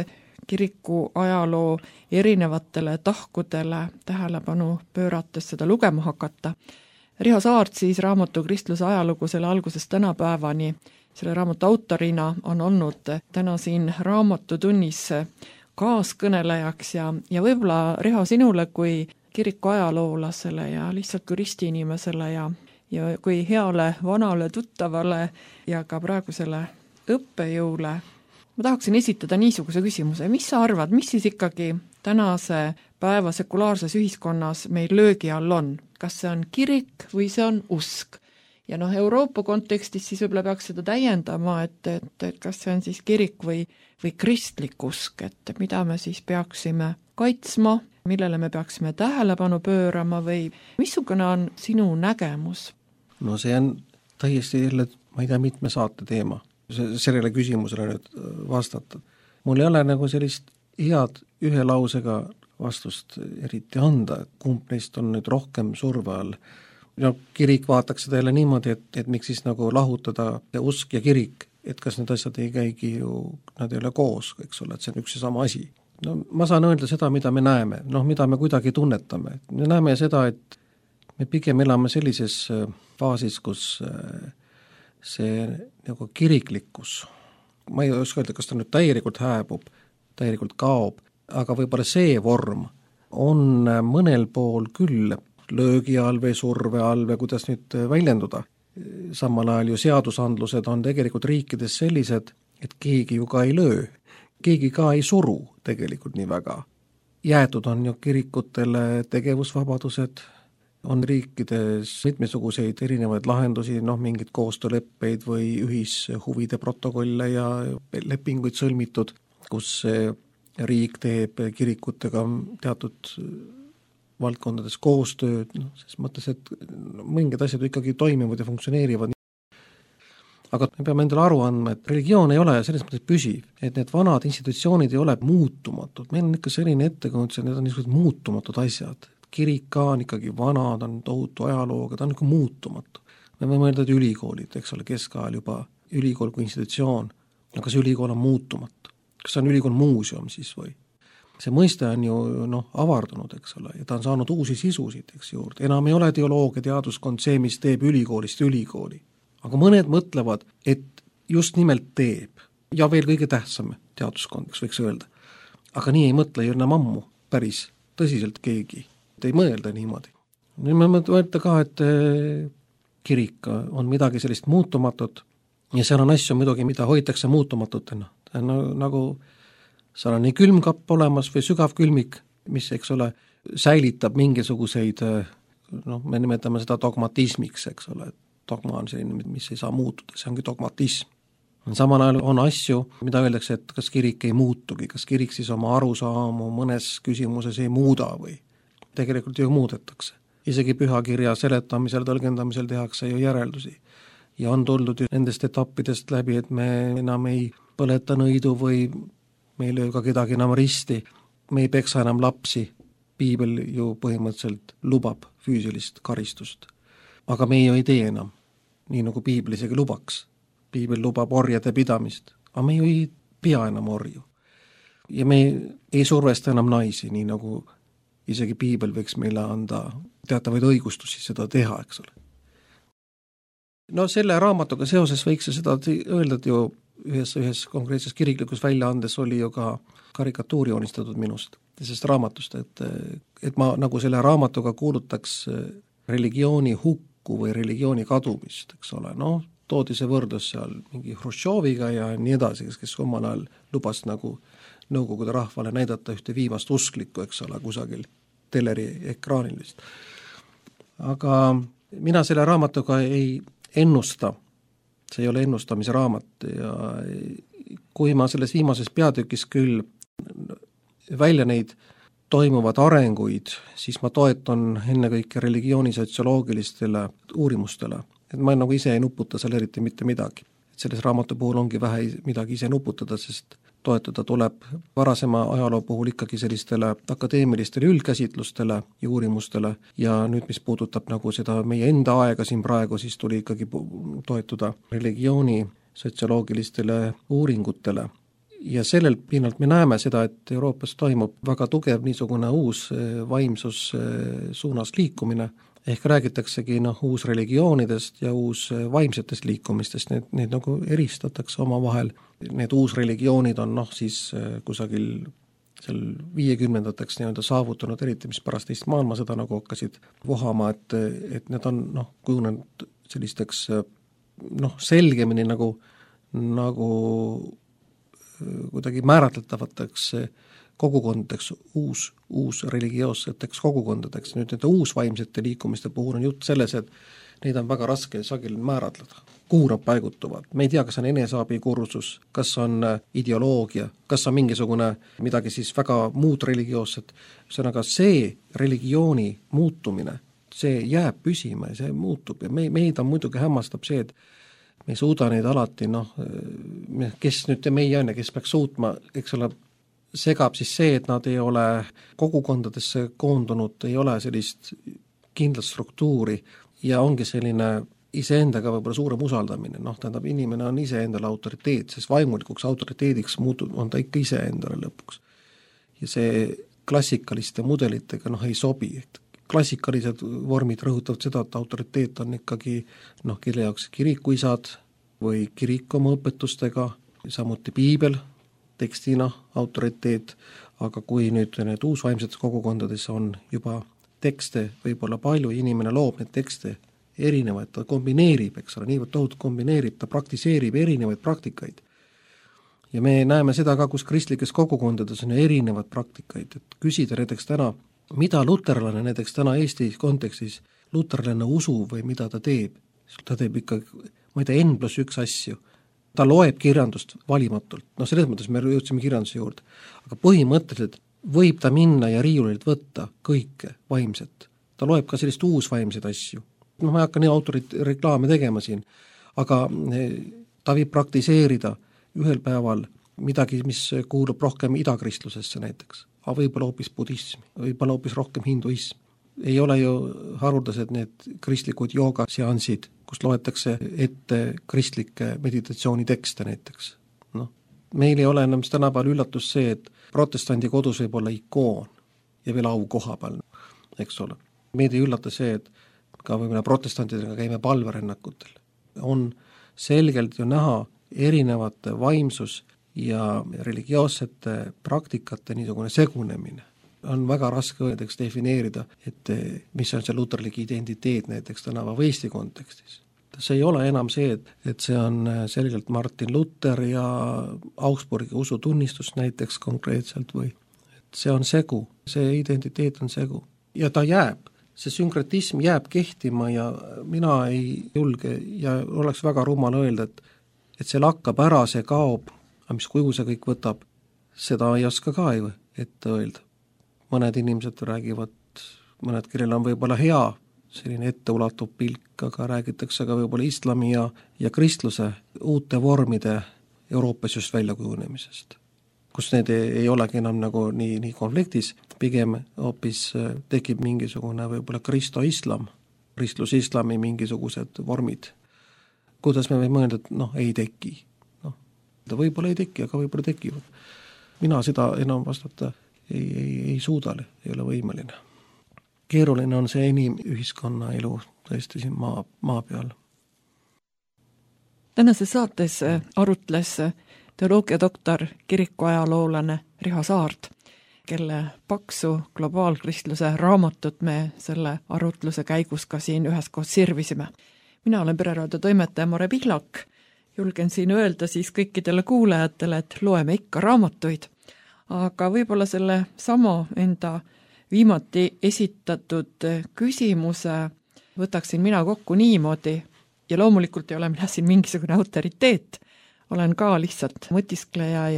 kiriku ajaloo erinevatele tahkudele tähelepanu pöörates seda lugema hakata. Riho Saart siis raamatu Kristluse ajalugu selle algusest tänapäevani, selle raamatu autorina on olnud täna siin raamatutunnis kaaskõnelejaks ja võib-olla Riho sinule kui kiriku ajaloolasele ja lihtsalt kui ristiinimesele ja kui heale vanale tuttavale ja ka praegusele õppejõule. Ma tahaksin esitada niisuguse küsimuse, mis sa arvad, mis siis ikkagi tänase päeva sekulaarses ühiskonnas meil löögi all on? Kas see on kirik või see on usk? Ja Euroopa kontekstis siis võib-olla peaks seda täiendama, et kas see on siis kirik või kristlik usk, et mida me siis peaksime kaitsma millele me peaksime tähelepanu pöörama või missugune on sinu nägemus? No see on täiesti jälle, ma ei tea, mitme saate teema, sellele küsimusele nüüd vastata. Mul ei ole nagu sellist head ühe lausega vastust eriti anda, et kumb neist on nüüd rohkem surve all. No kirik vaataks seda jälle niimoodi, et miks siis nagu lahutada usk ja kirik, et kas need asjad ei käigi ju, nad ei ole koos, eks ole, et see on üks ja sama asi. No ma saan öelda seda, mida me näeme, mida me kuidagi tunnetame. Me näeme seda, et me pigem elame sellises faasis, kus see nagu kiriklikkus, ma ei oska öelda, kas ta nüüd täielikult hääbub, täielikult kaob, aga võib-olla see vorm on mõnel pool küll löögi all või surve all või kuidas nüüd väljenduda. Samal ajal ju seadusandlused on tegelikult riikides sellised, et keegi ju ka ei löö, keegi ka ei suru tegelikult nii väga. Jäetud on ju kirikutele tegevusvabadused, on riikides mitmesuguseid erinevaid lahendusi, mingid koostööleppeid või ühishuvide protokolle ja lepinguid sõlmitud, kus riik teeb kirikutega teatud valdkondades koostööd, ses mõttes, et mingid asjad ikkagi toimivad ja funktsioneerivad. Aga me peame endale aru andma, et religioon ei ole selles mõttes püsiv, et need vanad institutsioonid ei ole muutumatud. Meil on ikka selline ettekujundus, et need on niisugused muutumatud asjad. Kirik ka on ikkagi vana, ta on tohutu ajalooga, ta on ikka muutumatu. Me võime öelda, et ülikoolid, eks ole, keskajal juba ülikool kui institutsioon, aga see ülikool on muutumatu. Kas see on ülikool muuseum siis või? See mõiste on ju avardunud, eks ole, ja ta on saanud uusi sisusid, eks juurde. Enam ei ole teoloogia teaduskond see, mis teeb ülikoolist ülikooli. Aga mõned mõtlevad, et just nimelt teeb. Ja veel kõige tähtsam teaduskond, eks võiks öelda. Aga nii ei mõtle ju enam ammu päris tõsiselt keegi. Ei mõelda niimoodi. Nüüd me mõelda ka, et kirik on midagi sellist muutumatut ja seal on asju muidugi, mida hoitakse muutumatutena. Nagu seal on nii külmkapp olemas või sügav külmik, mis, eks ole, säilitab mingisuguseid, me nimetame seda dogmatismiks, eks ole, dogma on selline, mis ei saa muutuda, see ongi dogmatism. Samal ajal on asju, mida öeldakse, et kas kirik ei muutugi, kas kirik siis oma arusaamu mõnes küsimuses ei muuda või tegelikult ju muudetakse. Isegi pühakirja seletamisel, tõlgendamisel tehakse ju järeldusi. Ja on tuldud nendest etappidest läbi, et me enam ei põleta nõidu või me ei löö ka kedagi enam risti, me ei peksa enam lapsi. Piibel ju põhimõtteliselt lubab füüsilist karistust. Aga me ju ei tee enam, nii nagu Piibel isegi lubaks. Piibel lubab orjade pidamist, aga me ju ei pea enam orju. Ja me ei survesta enam naisi, nii nagu isegi Piibel võiks meile anda teatavaid õigustusi seda teha, eks ole. No selle raamatuga seoses võiks seda öelda, et ju ühes konkreetses kiriklikus väljaandes oli ju ka karikatuuri joonistatud minust, sest raamatust, et ma nagu selle raamatuga kuulutaks religiooni hukku või religiooni kadumist, eks ole, toodi see võrdlus seal mingi Hruštšoviga ja nii edasi, kes omal ajal lubas nagu Nõukogude rahvale näidata ühte viimast usklikku, eks ole, kusagil teleri ekraanil vist. Aga mina selle raamatuga ei ennusta, see ei ole ennustamise raamat ja kui ma selles viimases peatükis küll välja neid toimuvad arenguid, siis ma toetan ennekõike religiooni sotsioloogilistele uurimustele, et ma nagu ise ei nuputa seal eriti mitte midagi. Et selles raamatu puhul ongi vähe midagi ise nuputada, sest toetada tuleb varasema ajaloo puhul ikkagi sellistele akadeemilistele üldkäsitlustele ja uurimustele ja nüüd, mis puudutab nagu seda meie enda aega siin praegu, siis tuli ikkagi toetuda religiooni sotsioloogilistele uuringutele. Ja sellel pinnalt me näeme seda, et Euroopas toimub väga tugev niisugune uus vaimsus suunas liikumine, ehk räägitaksegi uus religioonidest ja uus vaimsetest liikumistest, need nagu eristatakse oma vahel. Need uus religioonid on siis kusagil seal 50-ndateks saavutanud, eriti mis pärast teist maailmasõda nagu hakkasid vohama, et need on kujunenud sellisteks selgemini nagu kuidagi määratletavateks kogukondadeks, uus religioosseteks kogukondadeks. Nüüd nende uusvaimsete liikumiste puhul on jutt selles, et neid on väga raske sageli määratleda. Kuhu nad paigutuvad? Me ei tea, kas on eneseabikursus, kas on ideoloogia, kas on mingisugune midagi siis väga muud religioosset. Ühesõnaga see religiooni muutumine, see jääb püsima ja see muutub ja meid on muidugi hämmastab see, et me ei suuda neid alati, kes nüüd meie on ja kes peaks suutma, eks ole, segab siis see, et nad ei ole kogukondadesse koondunud, ei ole sellist kindlat struktuuri ja ongi selline iseendaga võib-olla suurem usaldamine, tähendab, inimene on iseendale autoriteet, sest vaimulikuks autoriteediks on ta ikka iseendale lõpuks. Ja see klassikaliste mudelitega ei sobi, et klassikalised vormid rõhutavad seda, et autoriteet on ikkagi kelle jaoks kirikuisad või kirik oma õpetustega, samuti piibel tekstina autoriteet, aga kui nüüd need uusvaimsetes kogukondades on juba tekste võib-olla palju, inimene loob need tekste erinevaid, ta kombineerib, eks ole, niivõrd tohutult kombineerib, ta praktiseerib erinevaid praktikaid. Ja me näeme seda ka, kus kristlikes kogukondades on erinevad praktikaid, et küsida näiteks täna, mida luterlane näiteks täna Eesti kontekstis, luterlane usu või mida ta teeb. Ta teeb ikka, ma ei tea, N+1 asju. Ta loeb kirjandust valimatult. Selles mõttes me jõudsime kirjanduse juurde. Aga põhimõtteliselt võib ta minna ja riiulilt võtta kõike vaimset. Ta loeb ka sellist uusvaimseid asju. Ma ei hakka nii autorit reklaame tegema siin, aga ta võib praktiseerida ühel päeval midagi, mis kuulub rohkem idakristlusesse näiteks. Aga võib-olla hoopis budism, võib-olla hoopis rohkem hinduism. Ei ole ju haruldased need kristlikud joogaseansid, kus loetakse ette kristlikke meditatsioonitekste näiteks. Meil ei ole enam tänapäeval üllatus see, et protestandi kodus võib olla ikoon ja veel au koha peal, eks ole. Meid ei üllata see, et ka võib-olla protestantidega käime palverännakutel. On selgelt ju näha erinevate vaimsus ja religioossete praktikate niisugune segunemine. On väga raske näiteks defineerida, et mis on see luterlik identiteet näiteks tänava või Eesti kontekstis. See ei ole enam see, et see on selgelt Martin Luther ja Augsburgi usutunnistus näiteks konkreetselt või et see on segu, see identiteet on segu ja ta jääb. See sünkretism jääb kehtima ja mina ei julge ja oleks väga rumal öelda, et see lakkab ära, see kaob, aga mis kuju see kõik võtab, seda ei oska ka ette öelda. Mõned inimesed räägivad, mõned, kellel on võib-olla hea selline etteulatuv pilk, aga räägitakse ka võib-olla islami ja kristluse uute vormide Euroopas just väljakujunemisest, kus need ei olegi enam nagu nii konfliktis, pigem hoopis tekib mingisugune võib-olla kristo-islam, kristlus-islami mingisugused vormid. Kuidas me võime mõelda, et ei teki. Võib-olla ei teki, aga võib-olla tekivad. Mina seda enam vastata ei suuda, ei ole võimeline. Keeruline on see inimühiskonna elu tõesti siin maa peal. Tänases saates arutles teoloogiadoktor, kirikuajaloolane Riho Saart, kelle paksu globaalkristluse raamatut me selle arutluse käigus ka siin üheskoos sirvisime. Mina olen Pereraadio toimetaja Mare Pihlak. Julgen siin öelda siis kõikidele kuulajatele, et loeme ikka raamatuid, aga võib-olla selle sama enda viimati esitatud küsimuse võtaksin mina kokku niimoodi ja loomulikult ei ole mina siin mingisugune autoriteet, olen ka lihtsalt mõtiskleja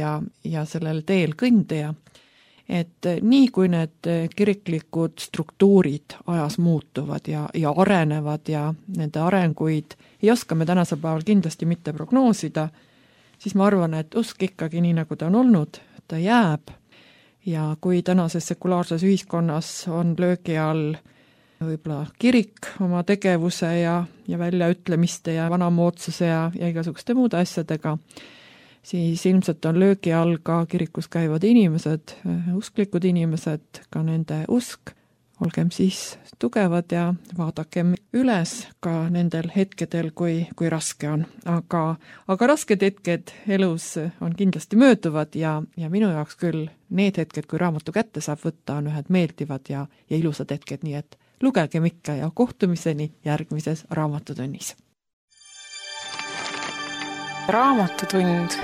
ja sellel teel kõndaja, et nii kui need kiriklikud struktuurid ajas muutuvad ja arenevad ja nende arenguid ei oska me tänasel päeval kindlasti mitte prognoosida, siis ma arvan, et usk ikkagi nii nagu ta on olnud, ta jääb ja kui tänases sekulaarses ühiskonnas on löögi all võib-olla kirik oma tegevuse ja väljaütlemiste ja vanamoodsuse ja igasuguste muude asjadega, siis ilmselt on löögi all ka kirikus käivad inimesed, usklikud inimesed, ka nende usk. Olgem siis tugevad ja vaadakem üles ka nendel hetkedel, kui raske on. Aga rasked hetked elus on kindlasti mööduvad ja minu jaoks küll need hetked, kui raamatu kätte saab võtta, on ühed meeldivad ja ilusad hetked, nii et lugegem ikka ja kohtumiseni järgmises raamatutunnis. Raamatutund.